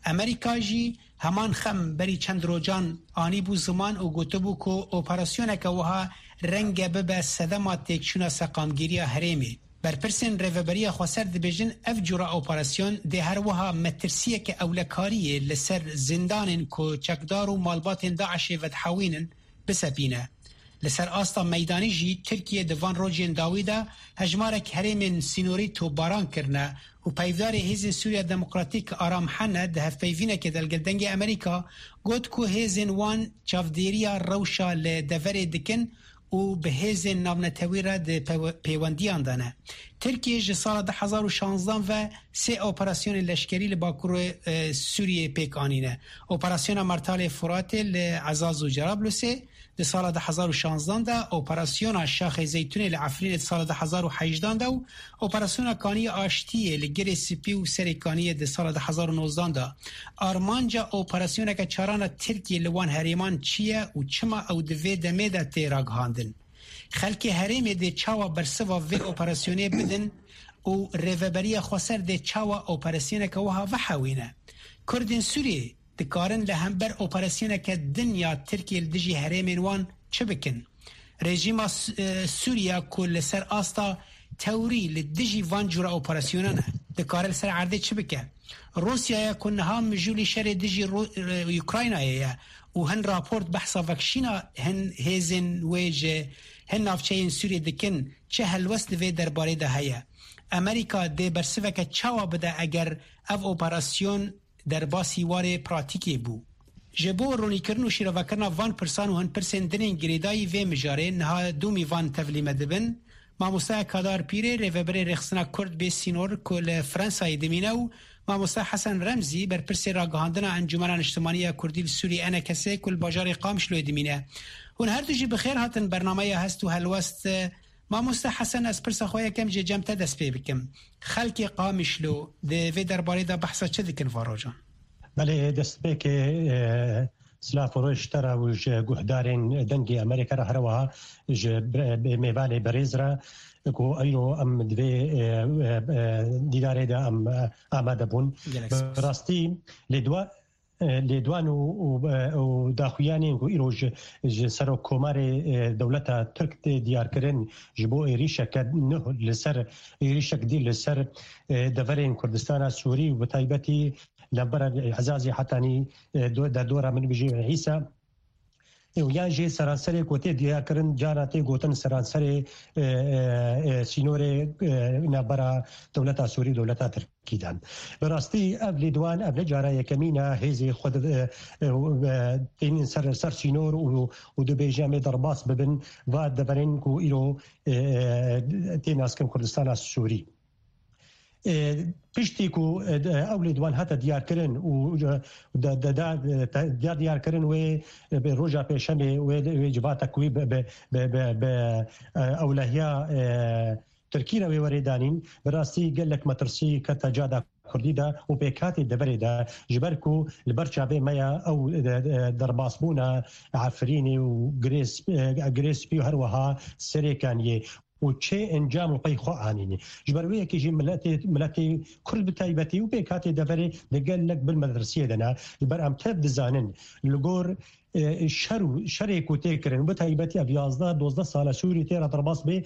Amerîka jî heman xem berî çend rojan anîbû ziman û gotibû ku operasyoneke wiha renge bibe sedema têkçûna seqamgîriya herêmê. Berpirsên Rêveberiya Xweser dibêjin, ev cûra operasyon dê her wiha metirsiyeke ewlekariyê li ser zindanên ku çekdar û malbatên DAIŞê vedihewînin, bisepîne. Li ser asta meydanî jî Tirkiye di van rojên dawî de hejmarek herêmên sînorî topbaran kirine û peyvdarê Hêzên Sûriya Demokratîk Aram Hene di hevpeyvînekê de li gel Dengê Amerîka got ku hêzên wan çavdêriya rewşa li deverê dikin û bi hêzên navnetewî re di pew-, pêwendiyan de ne. Tirkiye ji sala du hezar û şanzdan ve sê operasyonên leşkerî li Bakurê, e, Sûriyê pêk anîne. Operasyona Mertalê Furatê li Ezaz û Cerablusê di sala du hezar û şanzdan de, operasyona Şaxê Zeytûnê li Efrînê di sala du hezar û hejdan de û operasyona Kaniyê Aştiyê li Girê Spî û Serê Kaniyê di sala du hezar û nozdan de. Armanca operasyoneke çarana Tirkiye li wan herêman çi ye û çima ew di vê demê de tê ragihandin? Xelkê herêmê dê çawa bersiva vê operasyonê bidin û Rêveberiya Xweser dê çawa operasyoneke wiha vehewîne? Kurdên Sûriyê dikarin li hember operasyoneke din ya Tirkiyê li dijî herêmên wan çi bikin? Rejîma S-, e, Sûriya ku li ser asta tewrî li dijî van cûra operasyonan e, dikare li ser erdê çi bike? Rûsyaya ku niha mijûlî şerê dijî Ru-, e, Ukraynayê ye û hin raport behsa vekişîna hin hêzên wê ji hin navçeyên Sûriyê dikin, çi helwest di vê derbarê de heye? Amerîka dê bersiveke çawa bide eger ev operasyon derbasî warê pratîkê bû? Ji bo ronîkirin û şîrovekirina van pirsan û hin pirsên din ên girêdayî vê mijarê niha du mîvan tevlî me dibin. Mamoste Kadar Pîrê, rêveberê Rêxistina Kurd Bê Sînor ku li Fransayê dimîne û Mamoste Hesen Remzî, berpirsê ragihandina Encûmena Niştimanî ya Kurdî li Sûrî, ENKSê, ku li bajarê Qamişloyê dimîne. Hûn her du jî bi xêr hatin bernameya Hest û Helwest. Mamoste Hesen, ez pirsa xwe yekem jê cem te dest pê bikim. Xelkê Qamişlo di vê derbarê de behsa çi dikin van rojan? Belê, destpêkê, e, silav û rêz ji te re û ji guhdarên Dengê Amerîka re, her wiha ji bre-, mêvanê berêz re ku eyro em di vê, e, e, e, dîdarê de em, e, amade bûn. Gelek Bi spas. Rastî lêdwa-, e, lêdwan û, û, e, û daxuyanên ku îro ji, ji Serokkomarê, e, dewleta Tirk tê diyarkirin ji bo êrîşeke nuh li ser, êrîşek dî li ser, e, deverên Kurdistana Sûrî û bi taybetî li hember Ezazê Hetanî, e, do-, derdora min bijî Îsa. E, û yan jî seranserê ku tê diyarkirin, cara tê gotin seranserê, e, e, e, sînorê, e, navbera dewleta Sûrî û dewleta Tirkî de. Bi rastî ev lêdwan, ev ne cara yekemîn e hêzê xwe di, e, e, tênin ser, ser sînor û, û dibêje em ê derbas bibin va deverên ku îro, e, e, tê naskin Kurdistana Sûrî. E, piştî ku, e, de, ew lêdwan hate diyarkirin û, e, de, de, de, de, ya diyarkirin wê, e, bi roja pêşemê wê, wê civata ku wî bi, bi, bi, bi, bi, e, ewlehiya, e, Tirkî re wê werê danîn, bi rastî gelek metirsî kete cada Kurdî de û pêkhatê deverê de, ji ber ku li ber çavê me ya ew, e, e, derbasbûna Efrînê û Girê Sp-, e, Girê Spî û her wiha Serê Kaniyê û çê encam li pey xwe anîne. Ji ber wê yekê jî miletê, miletê Kurd bi taybetî û pêkhatê deverê di gelek bin metirsiyê de ne. Ji ber em tev dizanin, li gor, e, şer û şerê ku tê kirin, bi taybetî ev yazdeh dozdeh sal e Sûrî tê re derbas bê,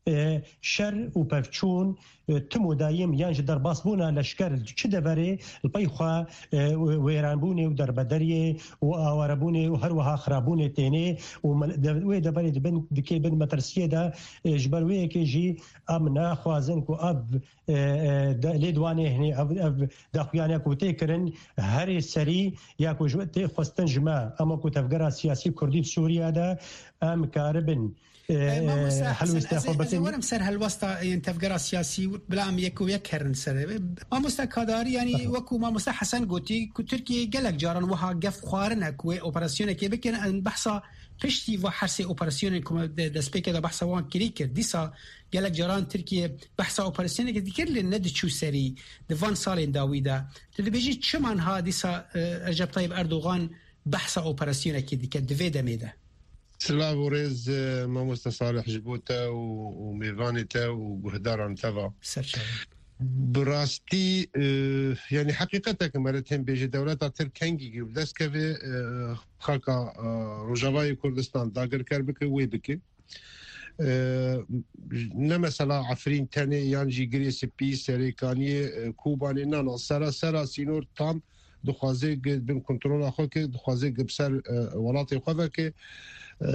e, şer û pevçûn, e, tim û dayim yan ji derbasbûna leşker çi deverê li pey xwe, e, wêranbûnê û derbedariyê û awarebûnê û her wiha xirabûnê tênê û me-, de-, wê deverê dibin, dikê bin metirsiyê de, e, ji ber wê yekê jî em naxwazin ku ev, e, e, de-, lêdwanê hinê ev, ev daxuyane ku tê kirin herê serî ya ku ji tê xwestin ji me, ema ku tevgera siyasî Kurdî di Sûriye de em karibin Mamoste Hesen, ez ê werim ser helwesta yên tevgera siyasî, bila em yek û yek herin ser. Mamoste Kadarî, yanî wekû Mamoste Hesen gotî ku Tirkiye gelek caran wiha gef xwarine ku wê operasyonekê bikin, em behsa piştî va hersê operasyonên ku me de-, destpêkê de behsa wan kirî kir. Dîsa gelek caran Tirkiye behsa operasyonekê dikir, lê nediçû serî di van salên dawî de. Tu dibêjî çima niha dîsa, e, Recep Tayyip Erdogan behsa operasyonekê dike di vê demê de? Silav û rêz, e, mamoste Salih, ji bo te û, û mêvanê te û guhdaran te va. Serçe. Bi rastî, e, yanî heqîqetek mere tên bêje dewleta Tirk kengî bi dest keve, e, xaka, e, Rojavayê Kurdistan dagirker bike, wê bike. E, ne mesela Efrîn tenê yan jî Girê Spî, Serêkaniyê, e, Kobanê, na, na, sera, sera sînor tam dixwaze gi bin kontrola xwe ke, dixwaze gi bi ser, e, welatê xwe veke. E,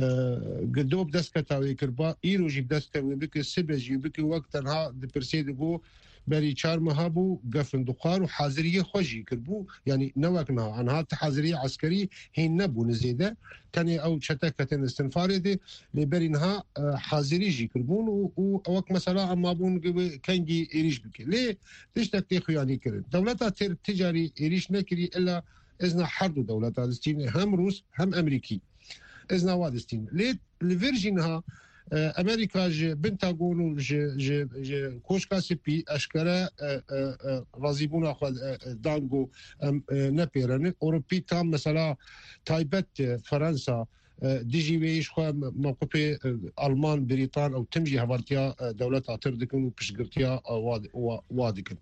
gi do bi dest keta wê kir, ba îro jî bi dest wê bike, sibe jî bike, wek tenha dipirsê digo, berî çar meha bû, gefin dixwar û haziriyê xwe jî kirbû. Yanî ne wek niha. Niha ti haziriyê eskerî hîn nebûne zêde. Tenê ew çete ketin istinfarê de, lê berî niha, e, hazirî jî kirbûn û, û wek mesela em mabûn gibi kengî êrîş bike. Lê tiştek tê xuyanî kirin. Dewleta Tirk ti carî êrîş nekirî, illa izna her du dewleta distîne, hem Rûs hem Emerîkî. Izna wa distîne. Lê li vir jî niha, e, Emerîka ji Pentagon û ji, ji, ji Koşka Spî eşkere, e, e, e, razîbûna xwe, e, e, dan ku em, e, nepêrenin. Ewropî tam mesela taybet, e, Fransa, e, dijî wê ji xwe me-, mewqifê, e, Alman, Brîtan ew tim jî hevaltiya, e, dewleta Tirk dikin û piştgirtiya, e, wa, wa, wa dikin.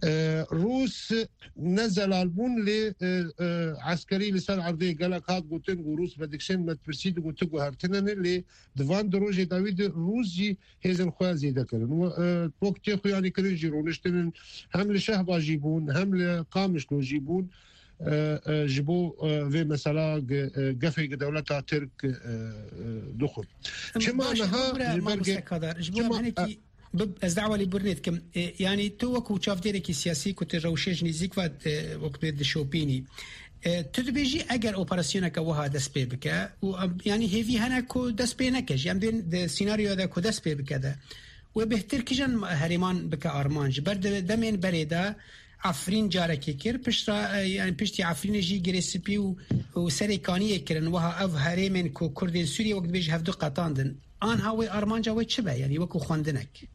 E, Rûs ne zelal bûn, lê, e, e, eskerî li ser erdê gelek hat gotin ku Rûs vedikşin, me dipirsî digot tu guhertine ne, lê di van di rojê dawî de Rûs jî hêzên xwe zêde kirin. Û, e, wek tê xuyanî kirin jî roniştinin, hem li Şehba jî bûn, hem li Qamişlo jî bûn, e, e, ji bo, e, vê mesela ge-, e, gefê gi dewleta Tirk, e, e, dixwin. Çima niha ji ber ge-, Mamoste Kadar, ji bo çima, em hinekî Bi-, ez dawa lê birnê dikim. E, yanî tu wekû çavdêrekî siyasî ku tu rewşê ji nîzîk ve, e, wek bê dişopînî. E, tu dibêjî eger operasyoneke wiha dest pê bike û em, yanî hêvî hene ku dest pê neke jî, em bên di senaryoya de ku dest pê bike de. Wê bêhtir kîjan herêman bike armanc? Ji ber di demên berê de Efrîn carekê kir, piştre, e, yanî piştî Efrînê jî Girê Spî û, û Serê Kaniyê kirin. Wiha ev herêmên ku Kurdên Sûriyê wek dibêje hevdu qetandin. Anha wê armanca wê çi be? Yanî wekû xwendinek.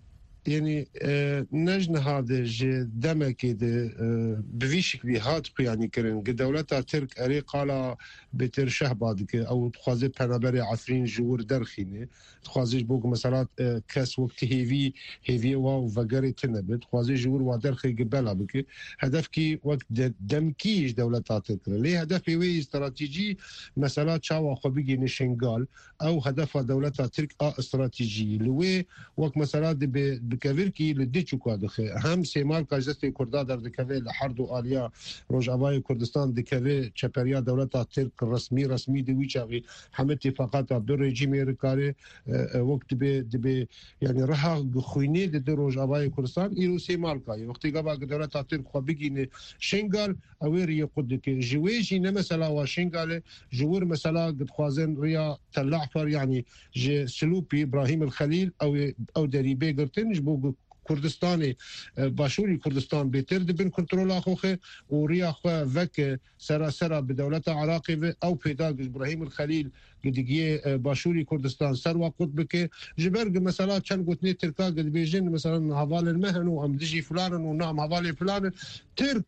Yanî, e, ne ji niha de ji demekê de, e, bi vî şiklî hat xuyanî kirin. Gi dewleta Tirk erê qala bêtir Şehba dike. Ew dixwaze penaberê Efrîn ji wir derxîne. Dixwaze ji bo ku mesela, e, kes wek ti hêvî, hêviyê wa û vegerê tune be. Dixwaze ji wir wa derxê gi bela bike. Hedefkî wek de-, demkî ji dewleta Tirk kire. Lê hedefê wê yî stratejî mesela çawa xwe bigihîne Şingal. Ew hedefa dewleta Tirk a stratejî. Li wê wek mesela dibe, bi kevirkî li Diçûka dixe. Hem Sêmalka ji destê Kurda derdikeve, li her du aliya Rojavayê Kurdistan dikeve çeperiya dewleta Tirk resmî, resmî di wî çaxî hemî tîfaqata bi rejîmê rikare, e, e, wek dibe, dibe, yanî reha xwînê di, di Rojavayê Kurdistan, îro Sêmalka ye. Wextê gava dewleta Tirk xwe bigîne Şingal, ew ê riyê qut dike. Ji wê jî ne mesela wa Şingalê, ji wir mesela dixwazin riya Tellahfar, yanî ji Silûpî, Îbrahîm el Xelîl, ew ê, ew derî bê girtin, ji bo ku Kurdistanê, e, Başûrî Kurdistan bêtir di bin kontrola xwe xe û riya xwe veke serasera bi dewleta Iraqê ve, ew pêda ku ji Îbrahîm el Xelîl gidigiyê, e, Başûrî Kurdistan ser wa qut bike. Ji ber ku mesela çend gotinê Tirka ku dibêjin, mesela, hevalên me hene û em dijî filan in û na em hevalê filan in. Tirk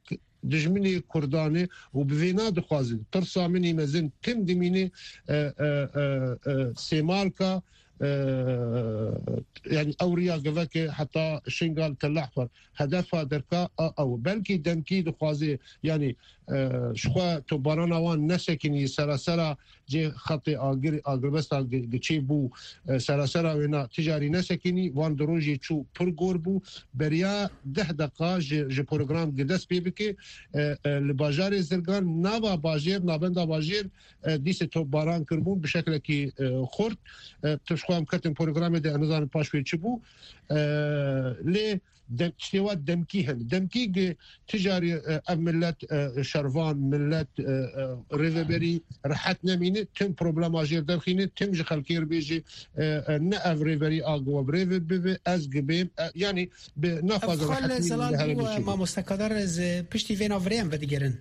dijminê Kurdan e û bi vê na dixwaze tirsa min î mezin tim dimîne, e, e, e, e, Sêmalka, e, yanî ew riya geveke heta Şingal, Tellahfar. Hedefa derka a ew. Belkî demkî dixwaze, yanî, e, ji xwe topbarana wan nesekinî serasera cê xetê agir-, agirbesta gi-, giçê bû, e, serasera wêna ticarî nesekinî, van di rojê çû pir gor bû. Beriya deh deqa ji, ji program gi dest pê bike, e, e, li bajarê Zirgan, nava bajêr, navenda bajêr, e, dîsê topbaran kirbûn bi şeklekî, e, xurt. E, tu ji xwe em ketin programê de, em nizanin paş wê çi bû. E, lê Dem, tiştê wa demkî hene. Demkî gi ticarî, e, ev millet, e, şervan, millet, e, e, rêveberî rehet nemîne, tim problema jêr derxîne, tim ji xelkê re bêje, e, e, ne ev rêverî a gi we bi rê ve bibe, ez gi bêm, e, yanî bi naxwaze rehetî li herêmê çêbe. Mamoste Kadar, ez, e, piştî vê navirê em vedigerin.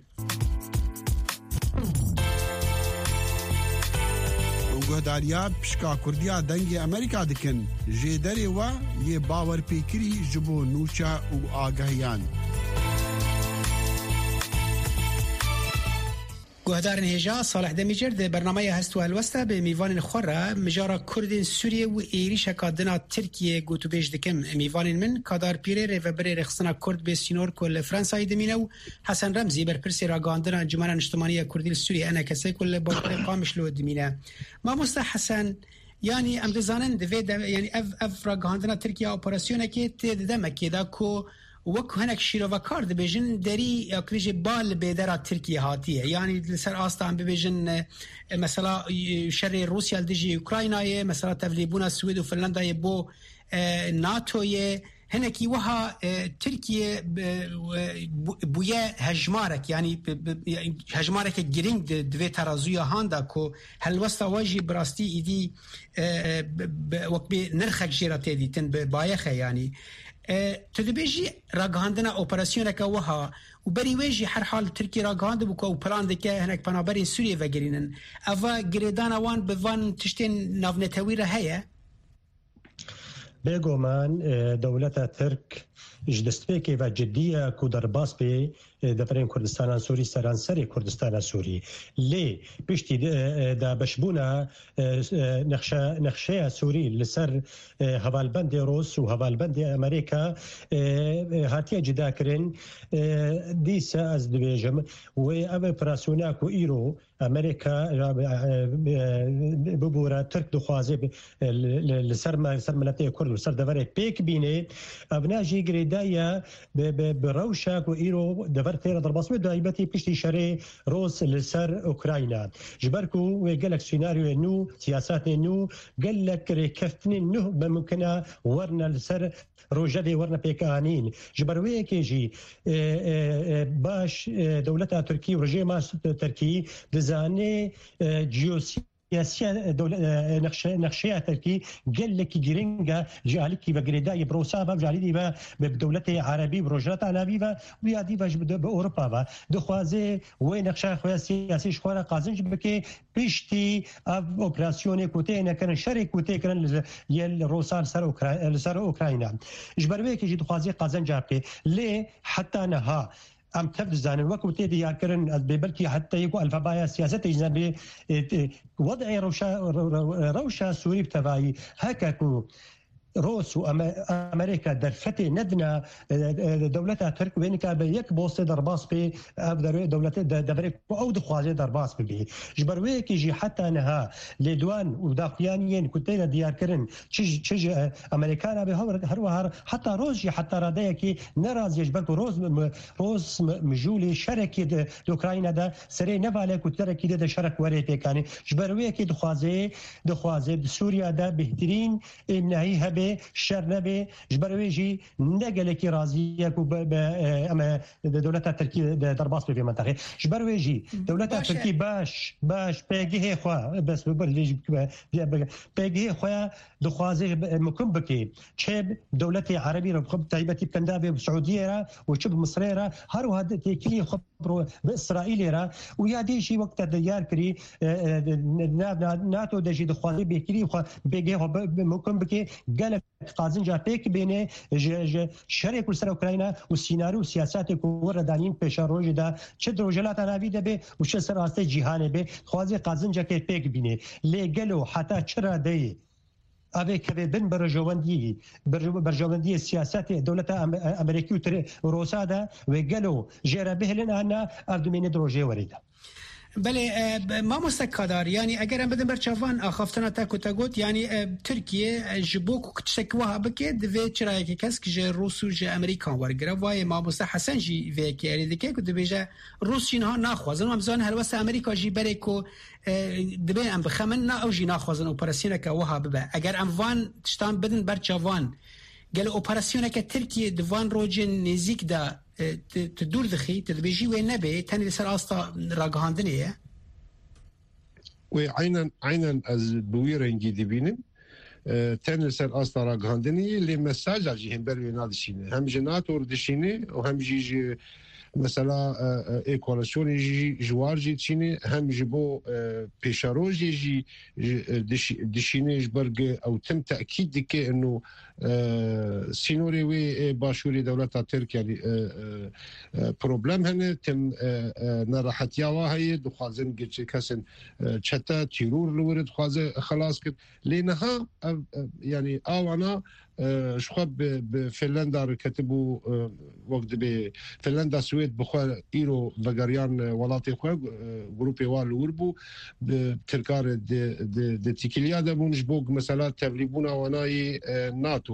Hûn guhdariya pişka Kurdiya Dengê Amerîka dikin. Jêderê we yê bawerpêkirî ji bo nûçe û agehiyan. Guhdarên hêja, Salih Demîcer di bernameya Hest û Helwesta bi mîvanên xwe re mijara Kurdên Sûriyê û êrîşeka din a Tirkiyê gotûbêj dikin. Mîvanên min, Kadar Pîrê, rêvebirê Rêxistina Kurd Bê Sînor ku li Fransayê dimîne û Hesen Remzî, berpirsê ragihandina Encûmena Niştimanî ya Kurdî li Sûriyê, E N K S, ku li bajarê Qamişlo dimîne. Mamoste Hesen, yanî em dizanin di vê de, yanî ev, ev ragihandina Tirkiye operasyonekê tê di demekê de ku wek hinek şîrovekar dibêjin, derî, ya ku bêjê, ba li bêdera Tirkiye hatiye. Yanî li ser asta em bibêjin, e, mesela, e, şerê Rûsya li dijî Ukraynayê, mesela tevlîbûna Swêd û Finlandayê bo, e, NATOyê, hinekî wiha, e, Tirkiye, e, e, bû-, bûye hejmarek, yanî bi, bi, hejmareke girîng di, di vê terazûya han de ku helwesta we jî bi rastî îdî, e, e, bi, bi, wek bê nirxek jê re tê dîtin, bi bayexe yanî. E, tu dibêjî ragihandina operasyoneke wiha û berî wê jî herhal Tirkiye ragihandibû ku ew plan dike hinek penaberên Sûriyê vegerînin. Eva girêdana wan bi van tiştên navnetewî re heye? Bêguman, e, dewleta Tirk ji destpêkê ve cidî ye ku derbas bê, e, deverên Kurdistana Sûrî, seranserê Kurdistana Sûrî. Lê piştî de, e, e, dabeşbûna, e, e, nexşe-, nexşeya Sûrî li ser, e, hevalbendê Rûs û hevalbendê Amerîka, e, e, hatiye cidakirin. E, dîsa ez dibêjim, wê ev operasyona ku îro Amerîka, e, e, e, bibûre, Tirk dixwaze bi-, li, li, li ser me, ser miletê Kurd, li ser deverê pêk bîne. Ev ne jî girêdayî ye bi, bi, bi rewşa ku îro dever tê re derbas be, taybetî piştî şerê Rûs li ser Ukrayna. Ji ber ku wê gelek sînaryoyê nû, siyasetê nû, gelek rêkeftinên nû be mimkine werine li ser rojevê werine pêkanîn. Ji ber wê yekê jî, e, e, e, baş, e, dewleta Tirkî û rejêma s-, Tirkî dizane, e, ciyosiyasiya dewle-, e, nexşe-, nexşeya Tirkî gelekî giring e, ji alîkî ve girêdayî bi Rûsa ve, ji alîkî ve bi, bi dewletê Erebî, bi Rojhilata Navî ve, û ya dî ve ji bi, bi Ewropa ve. Dixwaze wê nexşeya xwe ya siyasî ji xwe re qazinc bike, piştî ev operasyonê ku têne kirin, şerê ku tê kirin li, yê li Rûsa li ser Ukra-, li ser Ukrayna. Ji ber wê yekê jî dixwaze qazenca bike. Lê heta niha em tev dizanin, wekî tê diyarkirin, ez bê belkî heta yê ku elfebaya siyasetê jî nebê, e, e, wed'ê rewşa, re-, re-, rewşa Sûrî bi tevayî, heke ku Rûs û Ame-, Amerîka derfetê nedine, e, e, dewleta Tirk wê nikabe yek postê derbas bê, ev derê dewletê de, deverê ku ew dixwaze derbas bibê. Ji ber wê yekê jî heta niha lêdwan û daxuyaniyên ku têne diyarkirin, çi ji, çi ji, e, Amerîkana bê, her, her wiha heta Rûs jî heta radeyekî nerazî ye, ji ber ku Rûs mi-, mi-, Rûs mi-, mijûlê şerekî di, di Ukrayna de serê nevale ku terekî de, de şerek werê pêkanê. Ji ber wê yekê dixwaze, dixwaze di Sûriya de bêhtirîn êmnehî hebe, şer nebe. Ji ber wê jî ne gelekî razî ye ku be, be, e, em, e, de dewleta Tirkî de derbas be vê menteqê. Ji ber wê jî dewleta Tirkî baş, baş, pêgihê xwe, bes bi, bi, bi, bi, pêgihê xwe dixwaze, e, mukim bike. Çe dewletê Erebî re bi taybetî bi Kenda be, bi Siûdiyê re û çi bi Misirê re, her wiha de têkilî xwe bi Îsraîlê re û ya dê jî wek te diyar kirî, e, e, na-, na-, NATO de jî dixwaze bêhtirî xwe, bêgê xwe bi, bi mukim bike, gelek qazinca pêk bêne ji, ji şerê ku li ser Ukrayna û sînaryo û siyasetê ku wir re danîn pêşerojê de, çi di Rojhilata Navî de be û çi ser astê cîhanê be, dixwaze qazincekê pêk bîne. Lê gelo heta çi radeyê Ev ê keve bin berjewendiyê, berje-, berjewendiyê siyasetê dewleta Am-, Amerîkî û Tir-, Rûsa de wê gelo jê re bihêlin an na, ev dimêne di rojê werê de. Belê, e, b-, mamoste Kadar, yanî eger em bidin ber çavan axaftina te ku te got, yanî, e, Tirkiye, e, ji bo ku tiştek wiha bike, divê çirayeke kesk ji Rûs û ji Amerîkan wergire. Wayê mamoste Hesen jî vê yekê erê dike ku dibêje Rûs jî niha naxwazin. Em zanin helwesta Amerîka jî berê ku e, dibê em bixemin, na ew jî naxwazin operasyoneke wiha bibe. Eger em van tiştan bidin ber çavan, Gelo operasyoneke Tirkiye di van rojên nêzîk de, e, tu, tu dûr dixî, tu dibêjî wê nebe, tenê li ser asta ragihandinê ye? Wê eynen, eynen ez bi wî rengî dibînim. E, tenê li ser asta ragihandinê ye, lê mesaja jî hember wê nadişîne. Hem ji NATO re dişîne û hem jî ji mesela, e, e, ê koalisyonê jî ji war jî dişîne, hem ji bo, e, pêşerojê jî, jî, e, dişî-, dişîne, ji ber ku ew tim tekîd dike ino, e, sînorê wê ê başûrê dewleta Tirk, yanî, e, e, e, problem hene, tim, e, e, nerehetiya wa heye, dixwazin giç-, kesên, e, çete, tîror li wir dixwaze xelas kir. Lê niha ev, ev, yanî awana, e, ji xwe bi, bi Finlanda re ketibû, e, wek dibê Finlanda, Swêd bi xwe îro vegeriyan, e, welatê xwe, e, grûpê wa li wir bû, bi Tirka re di, di, di tîkiliya de bûn, ji bo mesela tevlîbûna wana yê, e, NATO.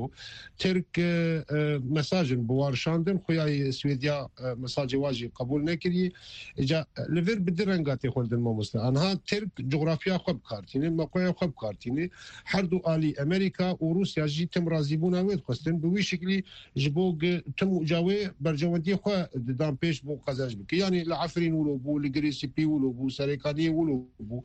Tirk, e, e, mesajin bi wa rişandin, xuya yê Swêdiya, e, mesajê wa jî qebûl nekiriye. Îca li vir bi di renga tê xwendin mamoste. Anha Tirk coxrafiya xwe bi kar tîne, mewqeya xwe bi kar tîne. Her du alî Amerîka û Rûsya jî tim razîbûna wê dixwestin. Bi wî şiklî ji bo gi-, tim uca wê berjewendiyê xwe didan pêş bo qezenc bike. Yanî li Efrîn wilo bû, li Girê Spî wilo bû, Serêkaniyê wilo bû.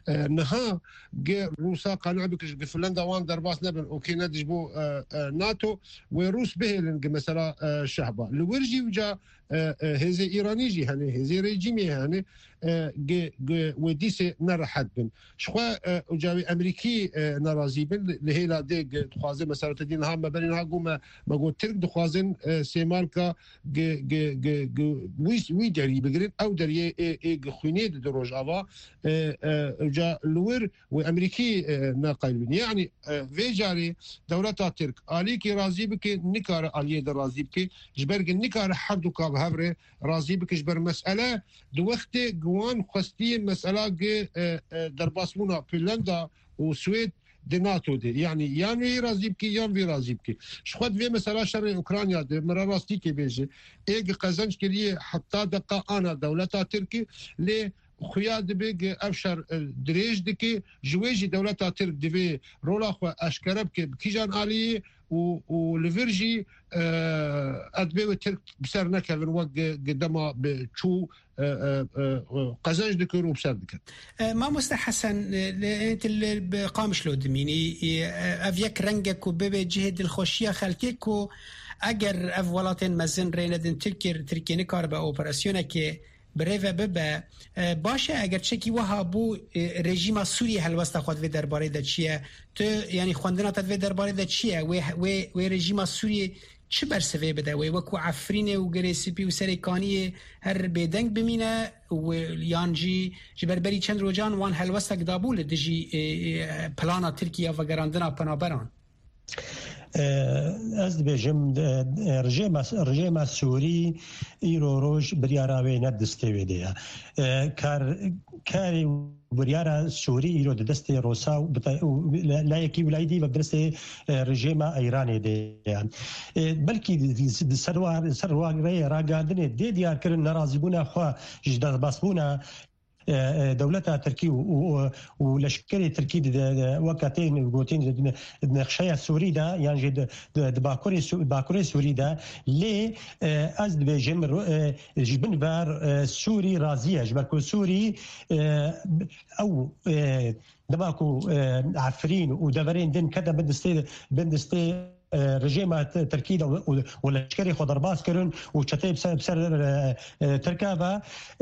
E, niha gi Rûsa qane bike ji gi Finlanda wan derbas nebin, okê ne ji bo, e, e, NATO, wê Rûs bihêlin gi mesela, e, şehba. Li wir jî uca e, e, hêzê Îranî jî hene, hêzê rejîmê hene, e, gi, gi wê dîsê nerehet bin. Ji xwe, e, uca wê Emerîkî, e, nerazî bin, li, li hêla dê gi dixwaze mesela te dî niha me berî niha got me, me got Tirk dixwazin, e, sêmalka gi, gi, gi, gi wî, wî derî bigirin, ew deriyê ê, ê gi xwînê di, di Rojava, e, e, uca li wir wê Emerîkî, e, neqeybin. Yanî, e, vê carê dewleta Tirk alîkî razî bike, nikare aliyê de razî bike, ji ber ki nikare her du ka bi hev re razî bike, ji ber mesele di wextê gi wan xwestiye mesela gi, e, e, derbasbûna Finlanda û Swêd di NATO de. Yanî yan wê razî bike, yan vê razî bike. Ji xwe di vê mesela şerê Ukrayna de, min re rastîkê bêje, ê gi qezenc kiriye heta deqa ana dewleta Tirkî, lê xuya dibe ku ev şer, e, dirêj dike, ji wê jî dewleta Tirk divê rola xwe eşkere bike bi kîjan aliyê û, û li vir jî, e, ez dibê wê Tirk bi ser nekevin wek ku, ku dema bi çû, e, e, e, e, qezenc dikir û bi ser dikir. E, Mamoste Hesen, e, li, tu li, bi Qamişlo dimînî, e, ev yek reng e ku bibe cihê dilxweşiya xelkê ku eger ev welatên mezin rê nedin Tirkiye, Tirkiye nikaribe operasyonekê bi rê ve bibe. E, baş e, eger çekî wiha bû, e, rejîma Sûriyê helwesta xwe di vê derbarê de çi ye? Tu, yanî xwendina te di vê derbarê de çi ye? Wê, wê, wê rejîma Sûriyê çi bersivê bide? Wê wekû Efrînê û Girê Spî û Serê Kaniyê her bêdeng bimîne û yan jî ji ber berî çend rojan wan helwestek dabû li dijî, e, e, plana Tirkî ya vegerandina penaberan? E, ez dibêjim, e, e, rejêma, rejêma Sûrî îro roj biryara wê ne distê wê de ye. E, kar, karê biryara Sûrî îro di destê Rosa û bita-, û la-, layekî û layî dî ve bi destê, e, rejêma Îranê de ye. E, belkî di, di, di ser wa, ser wa rê ragandinê dê diyarkirin nerazîbûna xwe ji derbasbûna e, e, dewleta Tirkî û, û, û, û leşkerê Tirkî di, di, di, weke tên gotin di, di nexşeya Sûrî de, yan jî di, di, di Bakurê Sû-, Bakurê Sûrî de. Lê, e, ez dibêjim, ro-, e, ji bin ver, e, Sûrî razî ye. Ji ber ku Sûrî, e, ew, e, dema ku, e, Efrîn û deverên din kete bin distê, bin distê e, rejêma T-, Tirkî de û, û, û leşkerê xwe derbas kirin û çeteyê bi ser, bi ser, e, e, Tirka ve,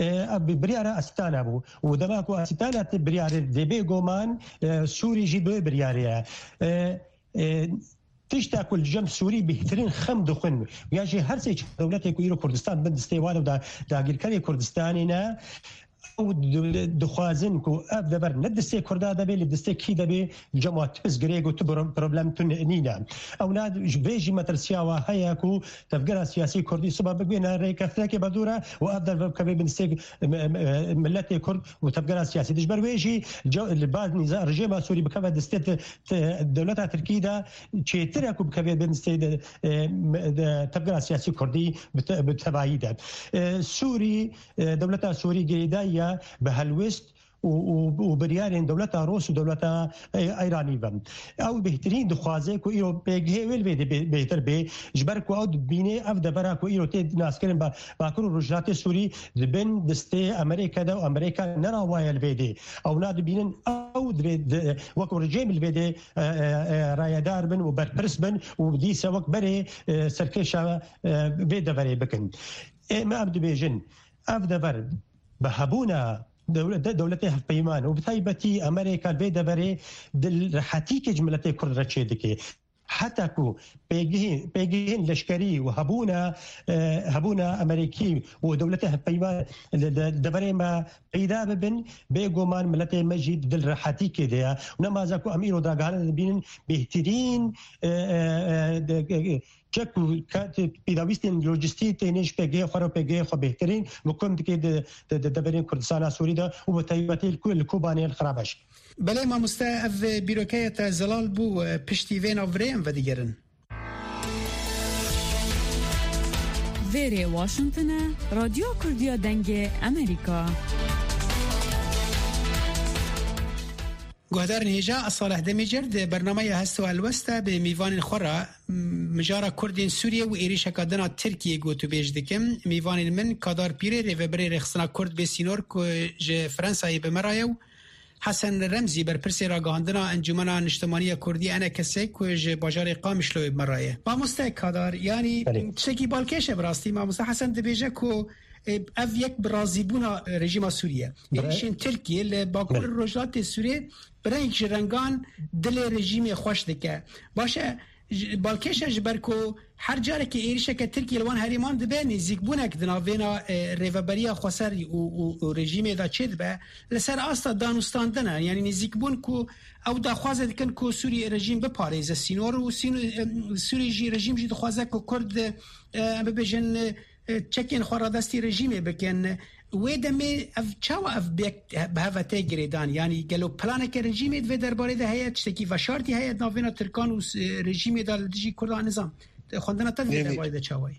e, ev bi-, biryara Astana bû. Û dema ku Astana te biryarê dê bê goman, e, Sûrî jî bi wê biryarê ye. E, e, tişta ku li cem Sûrî bêhtirîn xem dixwin, ya jî her sê dewletê ku îro Kurdistan bin distê wan û da-, dagirkerê Kurdistanê ne, ew di-, dixwazin ku ev dever ne distê Kurda de bê, li distê kî de bê, li cem wan tu pirsgirêk û tu pro-, problem tu ni-, nîne. Ew na ji vê jî metirsiya wa heye ku tevgera siyasî Kurdî siba bigihîne rêkeftinekê berdû re û ev dever bikeve bin distê, em, em, em, miletê Kurd û tevgera siyasî. Ji ber wê jî ce-, li ba nîza-, rejêma Sûrî bikeve distê ti-, ti-, dewleta Tirkî de çêtir e ku bikeve bin distê de, e, me-, de tevgera siyasî Kurdî bi te-, bi tevayî de. E, Sûrî e, dewleta Sûrî girêdayî ye bi helwest û, û, û biryarên dewleta Rûs û dewleta, e, Îranî ve. Ew bêhtirîn dixwaze ku îro pêgihê wê li vê de bê-, bêhtir bê, ji ber ku ew dibîne ev devera ku îro tê naskirin ba-, Bakur û Rojhilatê Sûrî di bin destê Amerîka de û Amerîka nerawaye li vê de. Ew na dibînin ew divê di, wek rejîm li vê de, e, e, e, rayedar bin û berpirs bin û dîsa wek berê, e, serkêşa, e, vê deverê bikin. Ê, me em dibêjin, ev dever bi hebûna dewle-, de-, dewletê hevpeyman û bi taybetî Amerîka li vê deverê di rehetîkê ji miletê Kurd re çêdike. Heta ku pêgihên, pêgihên leşkerî û hebûna, e, hebûna Amerîkî û dewletê hevpeyman li de-, deverê me peyda bibin, bêguman miletê me jî di dil rehetîkê de ye. Û nemaze ku em îro dagihana dibînin bêhtirîn, e, e, e, de-, e, çek û ka-, pêdawîstên lojîstî têne ji pêgehê xwe re û pêgehê xwe bêhtirîn bi kom dike di, di, di deverên Kurdistana Sûrî de û bi taybetî li Ku-, li Kobanê li Xirabeş. Belê mamoste, ev bîrokeya te zelal bû, piştî vê nav virê em vedigerin. Vêrê Washington e, Radyo Kurdiya Dengê Amerîka. Guhdarên hêja, ez Salih Demîcir di bernameya Hest û Helwest de bi mîvanên xwe re, m-, mijara Kurdên Sûriyê û êrîşeka din a Tirkiyê gotûbêj dikim. Mîvanên min, Kadar Pîrê, rêvebirê Rêxistina Kurd bê sînor ku ji Fransayê bi me re ye û Hesen Remzî, berpirsê ragihandina Encûmena Niştimanî ya Kurdî, ENKSê, ku ji bajarê Qamişloyê bi me re ye. Mamoste Kadar, yanî Belê. tiştekî balkêş e bi rastî. Mamoste Hesen dibêje ku, e, ev yek bi razîbûna, e, rejîma Sûrî ye. Bre- Êrîşên Tirkiyê li Bakur Belê. Rojhilatê Sûriyê bi reng ji rengan dilê rejîmê xweş dike. Baş e, ji, balkêş e ji ber ku her carekê êrîşeke Tirkiyê li wan herêman dibe, nêzîkbûnek di navbêna, e, rêveberiya xweser û, û, û rejîmê de çêdibe, li ser asta danûstandin e. Yanî nêzîkbûn ku ew daxwaze dikin ku Sûrî rejîm biparêze sînor û sîn-, e, Sûrî jî, rejîm jî dixwaze ku Kurd, e, em bibêjin, e, çekên xwe radestî rejîmê bikin. Wê demê ev çawa ev bêk bi hev ve tê girêdan? Yanî gelo planeke rejîmê di vê derbarê de heye, tiştekî veşartî heye di navbêna Tirkan û s-, rejîmê de li dijî Kurdan nizam? Xwendina te di vê Nê, nê. derbarê de çawa ye?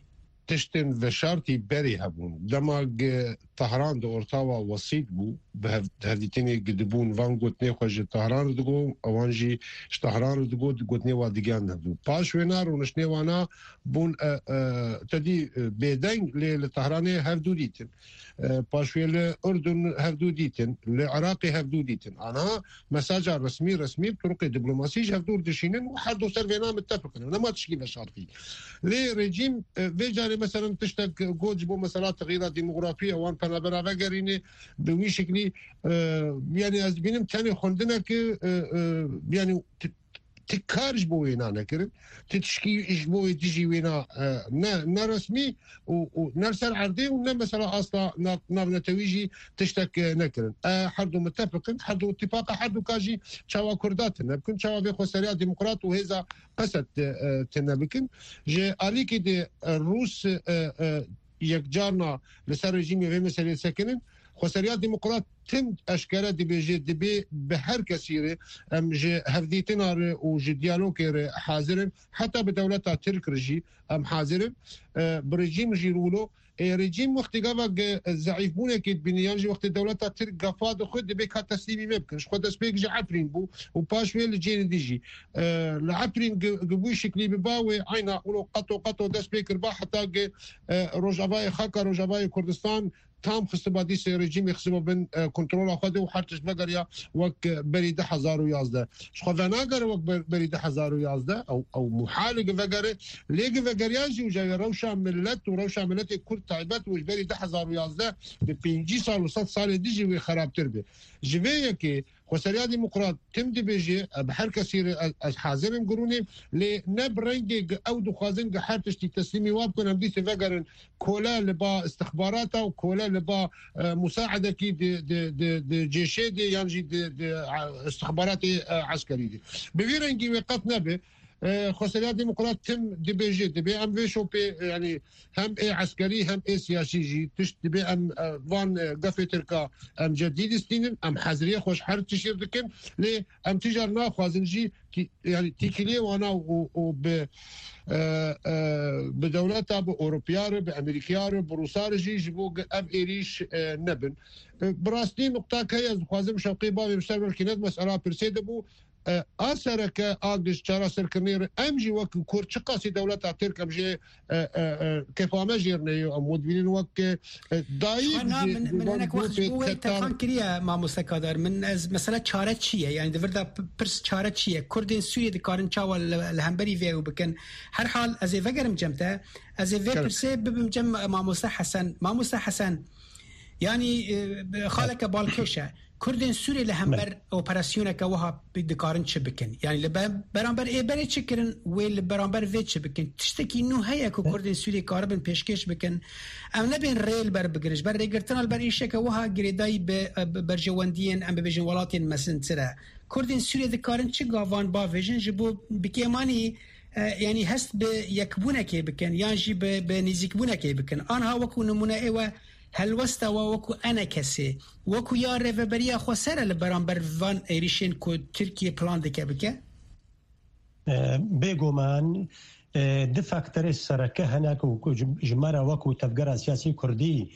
Tiştên veşartî berê hebûn. Dema ge Tehran di ortawa wesît bû, bi hev-, hevdîtinê gi dibûn, van gotinê xwe ji Tehran re digo, ewan jî ji Tehran re digo, gotinê wa digiyan hevdû. Paş wêna rûniştinê wana bûn, e, e, te dî, e, bêdeng, lê li Tehranê hevdû dîtin. E, paşwê li Urdun hevdû dîtin, li Iraqê hevdû dîtin. Aniha mesaja resmî, resmî, turuqê diplomasî ji hevdû dişînin û her du ser vêna mitefik in. Nema tişkî veşartî. Lê rejîm, e, vê carê, meselen, tiştek got ji bo mesela texyîra demografî, ewan penabera vegerîne bi wî şiklî, e, yanî ez dibînim tenê xwendineke, e, e, yanî ti-, ti kar ji bo wêna nekirin, ti tişkî ji bo wê dijî wêna, e, ne, ne resmî û, û ne li ser erdê û ne mesela asta nav-, navnetewî jî tiştek, e, nekirin. E, her du mitefik in, her du îtifaqa her du ka jî çawa Kurda tune bikin, çawa vê xweseriya demokrat û hêza Esed, e, tune bikin. Ji alîkî de, e, Rûs, e, e, yekcarna li ser rejîmê vê meselê sekinin. Xweseriya demokrat tim eşkere dibêje, dibê bi her kesî re em ji hevdîtina re û ji diyalogê re hazir in. Heta bi dewleta Tirk re jî em hazir in. E, bi rejîm jî rûlo. Ê, rejîm wextê gava ge-, zeîfbûnekê dibîne, yan jî wextê dewleta Tirk gafa dixwe, dibê ka teslîmî me bikin. Ji xwe destpêk ji Efrîn bû û paş wê li cêrê dî jî. E, li Efrîn gi-, gi vî şiklî biba wê, eyna wilo qeto qeto dest pê kiriba heta ge, e, Rojavayê, xaka Rojavayê Kurdistan tam xistiba dîsê rejîmê xistiba bin, e, kontrola xwe de û her tişt vegeriya wek, e, berî du hezar û yazdeh. Ji xwe venagere wek ber-, berî du hezar û yazdeh, ew, ew muhal e ki vegere, lê ki vegeriya jî û ji rewşa millet û rewşa milletê Kurd taybet û ji berî du hezar û yazdeh bi pêncî sal û sed salê dijî wê xerabtir be. Ji vê yekê Xweseriya Demokrat tim dibêje, e, bi her kesî re ez, ez hazir im girûnê, lê ne bi rengê gi ew dixwazin gi her tiştî teslîmî wa bikin, em dîsê vegerin kole li ba istixbarata û kole li ba, e, musaedekî di, di, di, di cêşê de yan jî di, di, e, istixbaratê, e, eskerî de. Bi vî rengî wê qet nebe. e, Xweseriya Demokrat tim dibêje, dibê em vê şopê, e, yanî hem ê eskerî hem ê siyasî jî tişt dibê em, e, van, e, gefê tirka em cedî distînin, em heziriyê xwe ji her tiştî dikin, lê em tîcar naxwazin jî ki, yanî tîkiliyê wana û, û bi, e, e, bi dewleta, bi Ewropiya re, bi Amerîkiya re, bi Rûsa re jî ji bo ge-, ev êrîş, e, nebin. E, bi rastî nuqtak heye, ez dixwazim Şewqî Bavê bi ser belkî ne di mesela pirsê de bû, e, a sereke a giş çareserkirinê re em jî wekî Kurd çiqasî dewleta Tirk em jê, e, e, e, kefa me jêr neyê, em wê dibînin wek, e, e, dayîk Xwe na ji, min, ji min van hinek wext ji grûpê bo wê Ketan. Telefon kiriye mamoste Kadar. Min ez mesela çare çi ye? Yani di vir de p-, pirs çare çi ye? Kurdên Sûriyê dikarin çawa li, li hemberî vê ew bikin? Her hal ez ê vegerim cem te. Ez ê vê Kerem. Pirsê bibim cem mamoste Hesen. Mamoste Hesen, yanî, e, xaleke balkêş e. Kurdên Sûriyê li hember operasyoneke wiha bi-, dikarin çi bikin? Yanî li be-, beramber ê berê çi kirin, wê li beramber vê çi bikin? Tiştekî nû heye ku Kurdên Sûriyê karibin pêşkêş bikin? Em nebên rê li ber bigirin. Ji ber rêgirtina li ber êrişeke wiha girêdayî bi, bi berjewendiyên, em bibêjin, welatên mezintir e. Kurdên Sûriyê dikarin çi gavan bavêjin ji bo bi kêmanî, e, yanî hest bi yekbûnekê bikin yan jî bi, bi nêzîkbûnekê bikin? Anha wekû nimûne ê we helwesta we wekû enekesê, wekû ya rêveberiya xweser e li beramber van êrîşên ku Tirkiye plan dike bike? E, bêguman, e, du faktorê sereke hene ku, ku ji, ji me re wekû tevgera siyasî kurdî,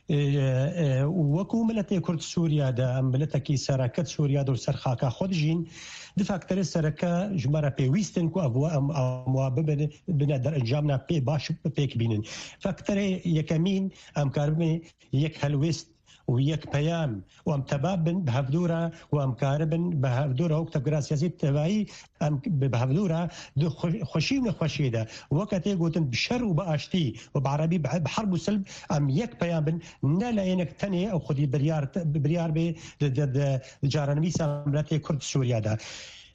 e, e, û wekû miletê kurd Sûriye de, em miletekî sereke Sûriye de û ser xaka xwe dijîn, du faktorê sereke ji me re pêwîst in ku ev, em, em wa bibin, bine derencamna pê baş pêk bînin. Faktorê yekemîn, em karibin yek helwêst û yek peyam û em tebab bin bi hevdû re û em karibin bi hevdû re wek tevgera siyasî tevayî em bi, bi hevdû re di xwe-, xweşî û nexweşiyê de weke tê gotin bi şer û bi aştî û bi erebî bi, bi herb û silb em yek peyam bin, ne leyênek tenê ew xwedî biryar, biryar bê di, di, di, di caranivîsa miletê Kurd Sûriye de.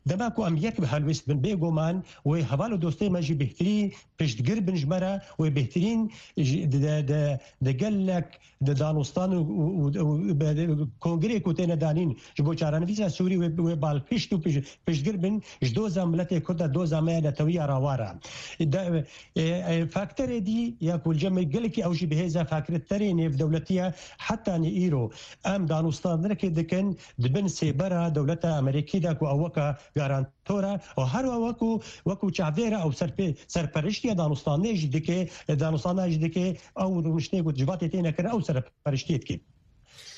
Dema ku em yek bi helwêst bin, bêguman wê heval û dostê me jî bêhtirî piştgir bin ji me re, wê bêhtirîn ji, di, di, di, di gelek di danûstan û, û, û, û be-, kongreyê ku têne danîn ji bo çarenivîsa Sûrî wê, wê balpişt û pij-, piştgir bin ji doza miletê Kurd de, doza me ya netewiya rawar e. De, e, e, fakterê dî ya ku li cem me gelekî ew jî bi hêza fakterê nêvdewletî ye, heta nî îro em danûstandirekê dikin di bin sêbera dewleta Amerîkî de ku ew weke garantor e û her wekû, wekû çavdêr e ew serpê-, serperiştiya danûstandinê jî dike, danûstandina jî dike, ew rûniştê ku civatê têne kirin ew serperiştiyê dike.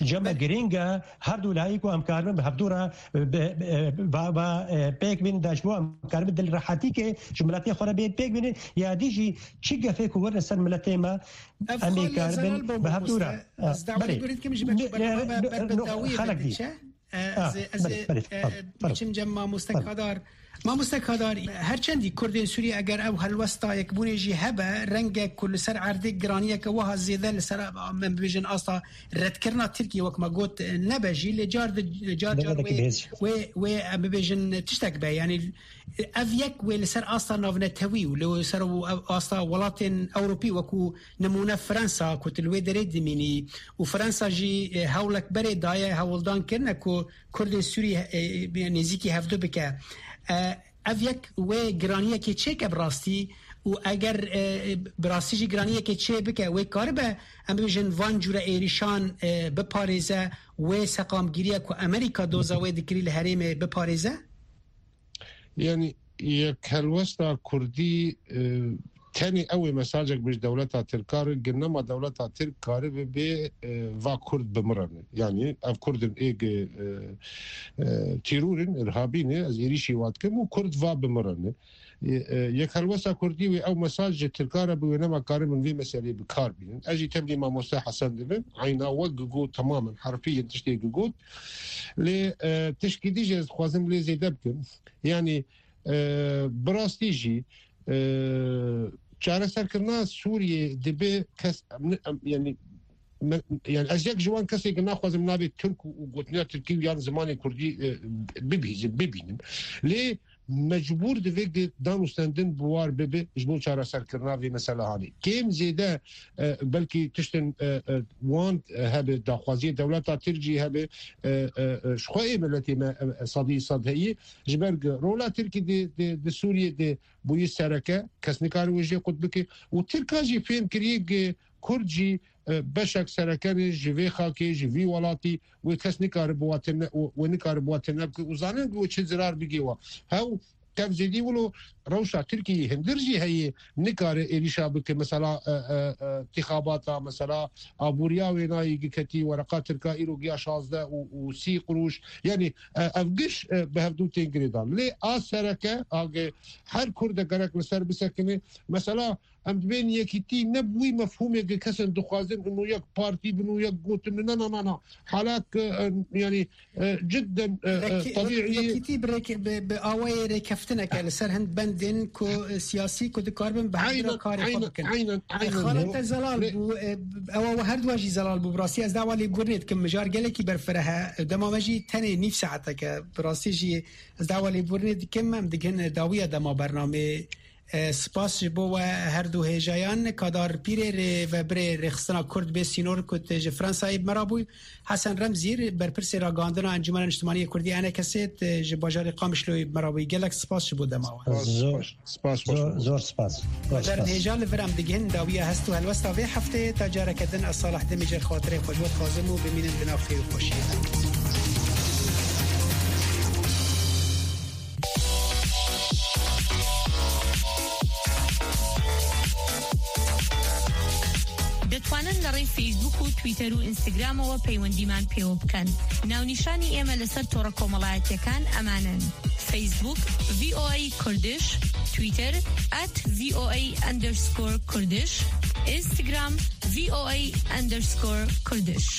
Cem me Belê. Girîng e, her du layî ku em karibin bi hevdû re, bi, bi, va, va, e, pêk bînin de ji bo em karibin dil rehetîkê ji miletê xwe re bên pêk bînin, ya dî jî çi gefê ku werne ser miletê me, Ev em ê xalê karibin zelal bo bi hevdû re. Mamoste. Ez dawayê Belê. Gurin dikim ji ber Ne, ber ne, ber ne, ber bi ne, dawiyê xelek dî. Diçe. E, Ah, ez ê, ez belê, ê, belê, e, tamam, tamam. Biçim cem mamoste Tamam. Kadar. Mamoste Kadar, her çendî Kurdên Sûrî eger ew helwesta yekbûnê jî hebe, renge ku li ser erdê giraniyeke wiha zêde li ser, em bibêjin, asta redkirina Tirkiye, wek me got, nebe jî, lê car di, car car Nebe wê, bêz. Wê, wê, em bibêjin, tiştek be. Yanî ev yek wê li ser asta navnetewî û li ser asta welatên Ewropî wekû nimûne Fransa ku tu li wê derê dimînî û Fransa jî, e, hewlek berê daye hewldan kirine ku Kurdên Sûrî, e, nêzîkî hevdu bike. E, ev yek wê giraniyekê çêke bi rastî û eger, e, bi rastî jî giraniyekê çê bike, wê karibe, em bibêjin, van cûre êrîşan, e, biparêze, wê seqamgiriya ku Amerîka doza wê dikirî li herêmê biparêze? Yanî yek helwesta Kurdî, e, tenê ew ê mesajek bi ji dewleta Tirka re, ginema dewleta Tirk karibe bê, e, va Kurd bimirane. Yanî ev Kurdin ê gi, e, e, tîrûr in, irhabî ne, ez êrîşî wa dikim û Kurd va bimirane. E, e, yek helwesta Kurdî wê ew mesaj ji Tirka re bi wê nema karibin vê meseleyê bi kar bînin. Ez jî tevlî mamoste Hesen dibim. Eyna we gigot temamen herfî yên tiştê gigot. Lê, e, tişkî dî jî ez dixwazim lê zêde bikim. Yanî, e, bi rastî jî, e, çareserkirina Sûriyê dibe kes, em, em, yanî, me, yanî ez yek ji wan kesê ki naxwazim navê Tirk û, û gotina Tirkî û yan zimanê Kurdî, e, bibîzim, bibînim. Lê mecbûr divê di dan û stendin bi war bibe ji bo çareserkirina vê meselehanê. Kêm zêde, e, belkî tiştin, e, e, wan, e, hebe daxwaziyê dewleta Tirk jî hebe, e, e, e, ji xwe ê miletê me, e, e, sedî sed heye. Ji ber ku rola Tirkî di, di, di Sûriyê de bûyî sereke, kes nikare wê jê qut bike. Û Tirka jî fêm kiriye ku Kurd jî, e, beşek sereke ne ji vê xakê, ji vî welatî, wê kes nikare bi we tune, wê nikare bi we tune bike û zanin wê çi zirar bigê we. Hew tev zêdî wilo rewşa Tirkiyeyê hindir jî heye, nikare êrîşa bike, mesela, e, e, e, tixabata, mesela, aboriya wênayî giketî, wereqa Tirka îro giya şazdeh û, û sî quruş. Yanî, e, ev giş, e, bi hevdû tên girêdan. Lê a sereke, a ge-, her Kurde gerek li ser bisekine. Mesela, em dibên yekîtî ne bi wî mefhûmê ke kesên dixwazin hûn û yek partî bin û yek gotin, na, na, na, na. Halak, e, e, yanî, e, cidden, e, e, Rek-, tebîî. Yekîtî bi rek-, bi, bi awayê rêkeftineke li ser hin bendên ku, e, siyasî ku dikaribin bi hev re Aynen, karê xwe aynen, bikin. aynen, E, aynen. Xala te zelal Lê- bû, e, ewa we her duwa jî zelal bû. Bi rastî ez dawa lêbûrinê dikim. Mijar gelekî berfireh e. Dema me jî tenê nîv saeteke. Bi rastî jî ez dawa lêbûrinê dikim. Em digihine dawiya dema bernamê. E, spas ji bo we her du hêjayan. Kadar Pîrê rê ve birê rêxistina Kurd bê sînor ku te ji Fransayê bi me re bû. Hesen Remzî, berpirsê ragihandina Encûmena Niştimanî yê Kurdî, E N K S'ê, te ji bajarê Qamişloyê bi me re bû. Gelek spas ji bo dema we. Spas, Zor, spas, spas, zor, spas. Zor spas. Zor spas. Hêja, li vir em digihin dawiya hest û helwesta vê hefteyê. Ta careke din ez Salih Demîcer xatirê xwe ji we dixwazim û bimînin di nav xêr û xweşiyê de. دەتوانن لە ڕێی فەیسبوک و تویتەر و ئینستاگرامەوە پەیوەندیمان پێوە بکەن. ناونیشانی ئێمە لەسەر تۆڕە کۆمەڵایەتیەکان ئەمانەن: فەیسبوک، V O A Kurdish، تویتەر، at V O A underscore Kurdish، ئینستاگرام، V O A underscore Kurdish.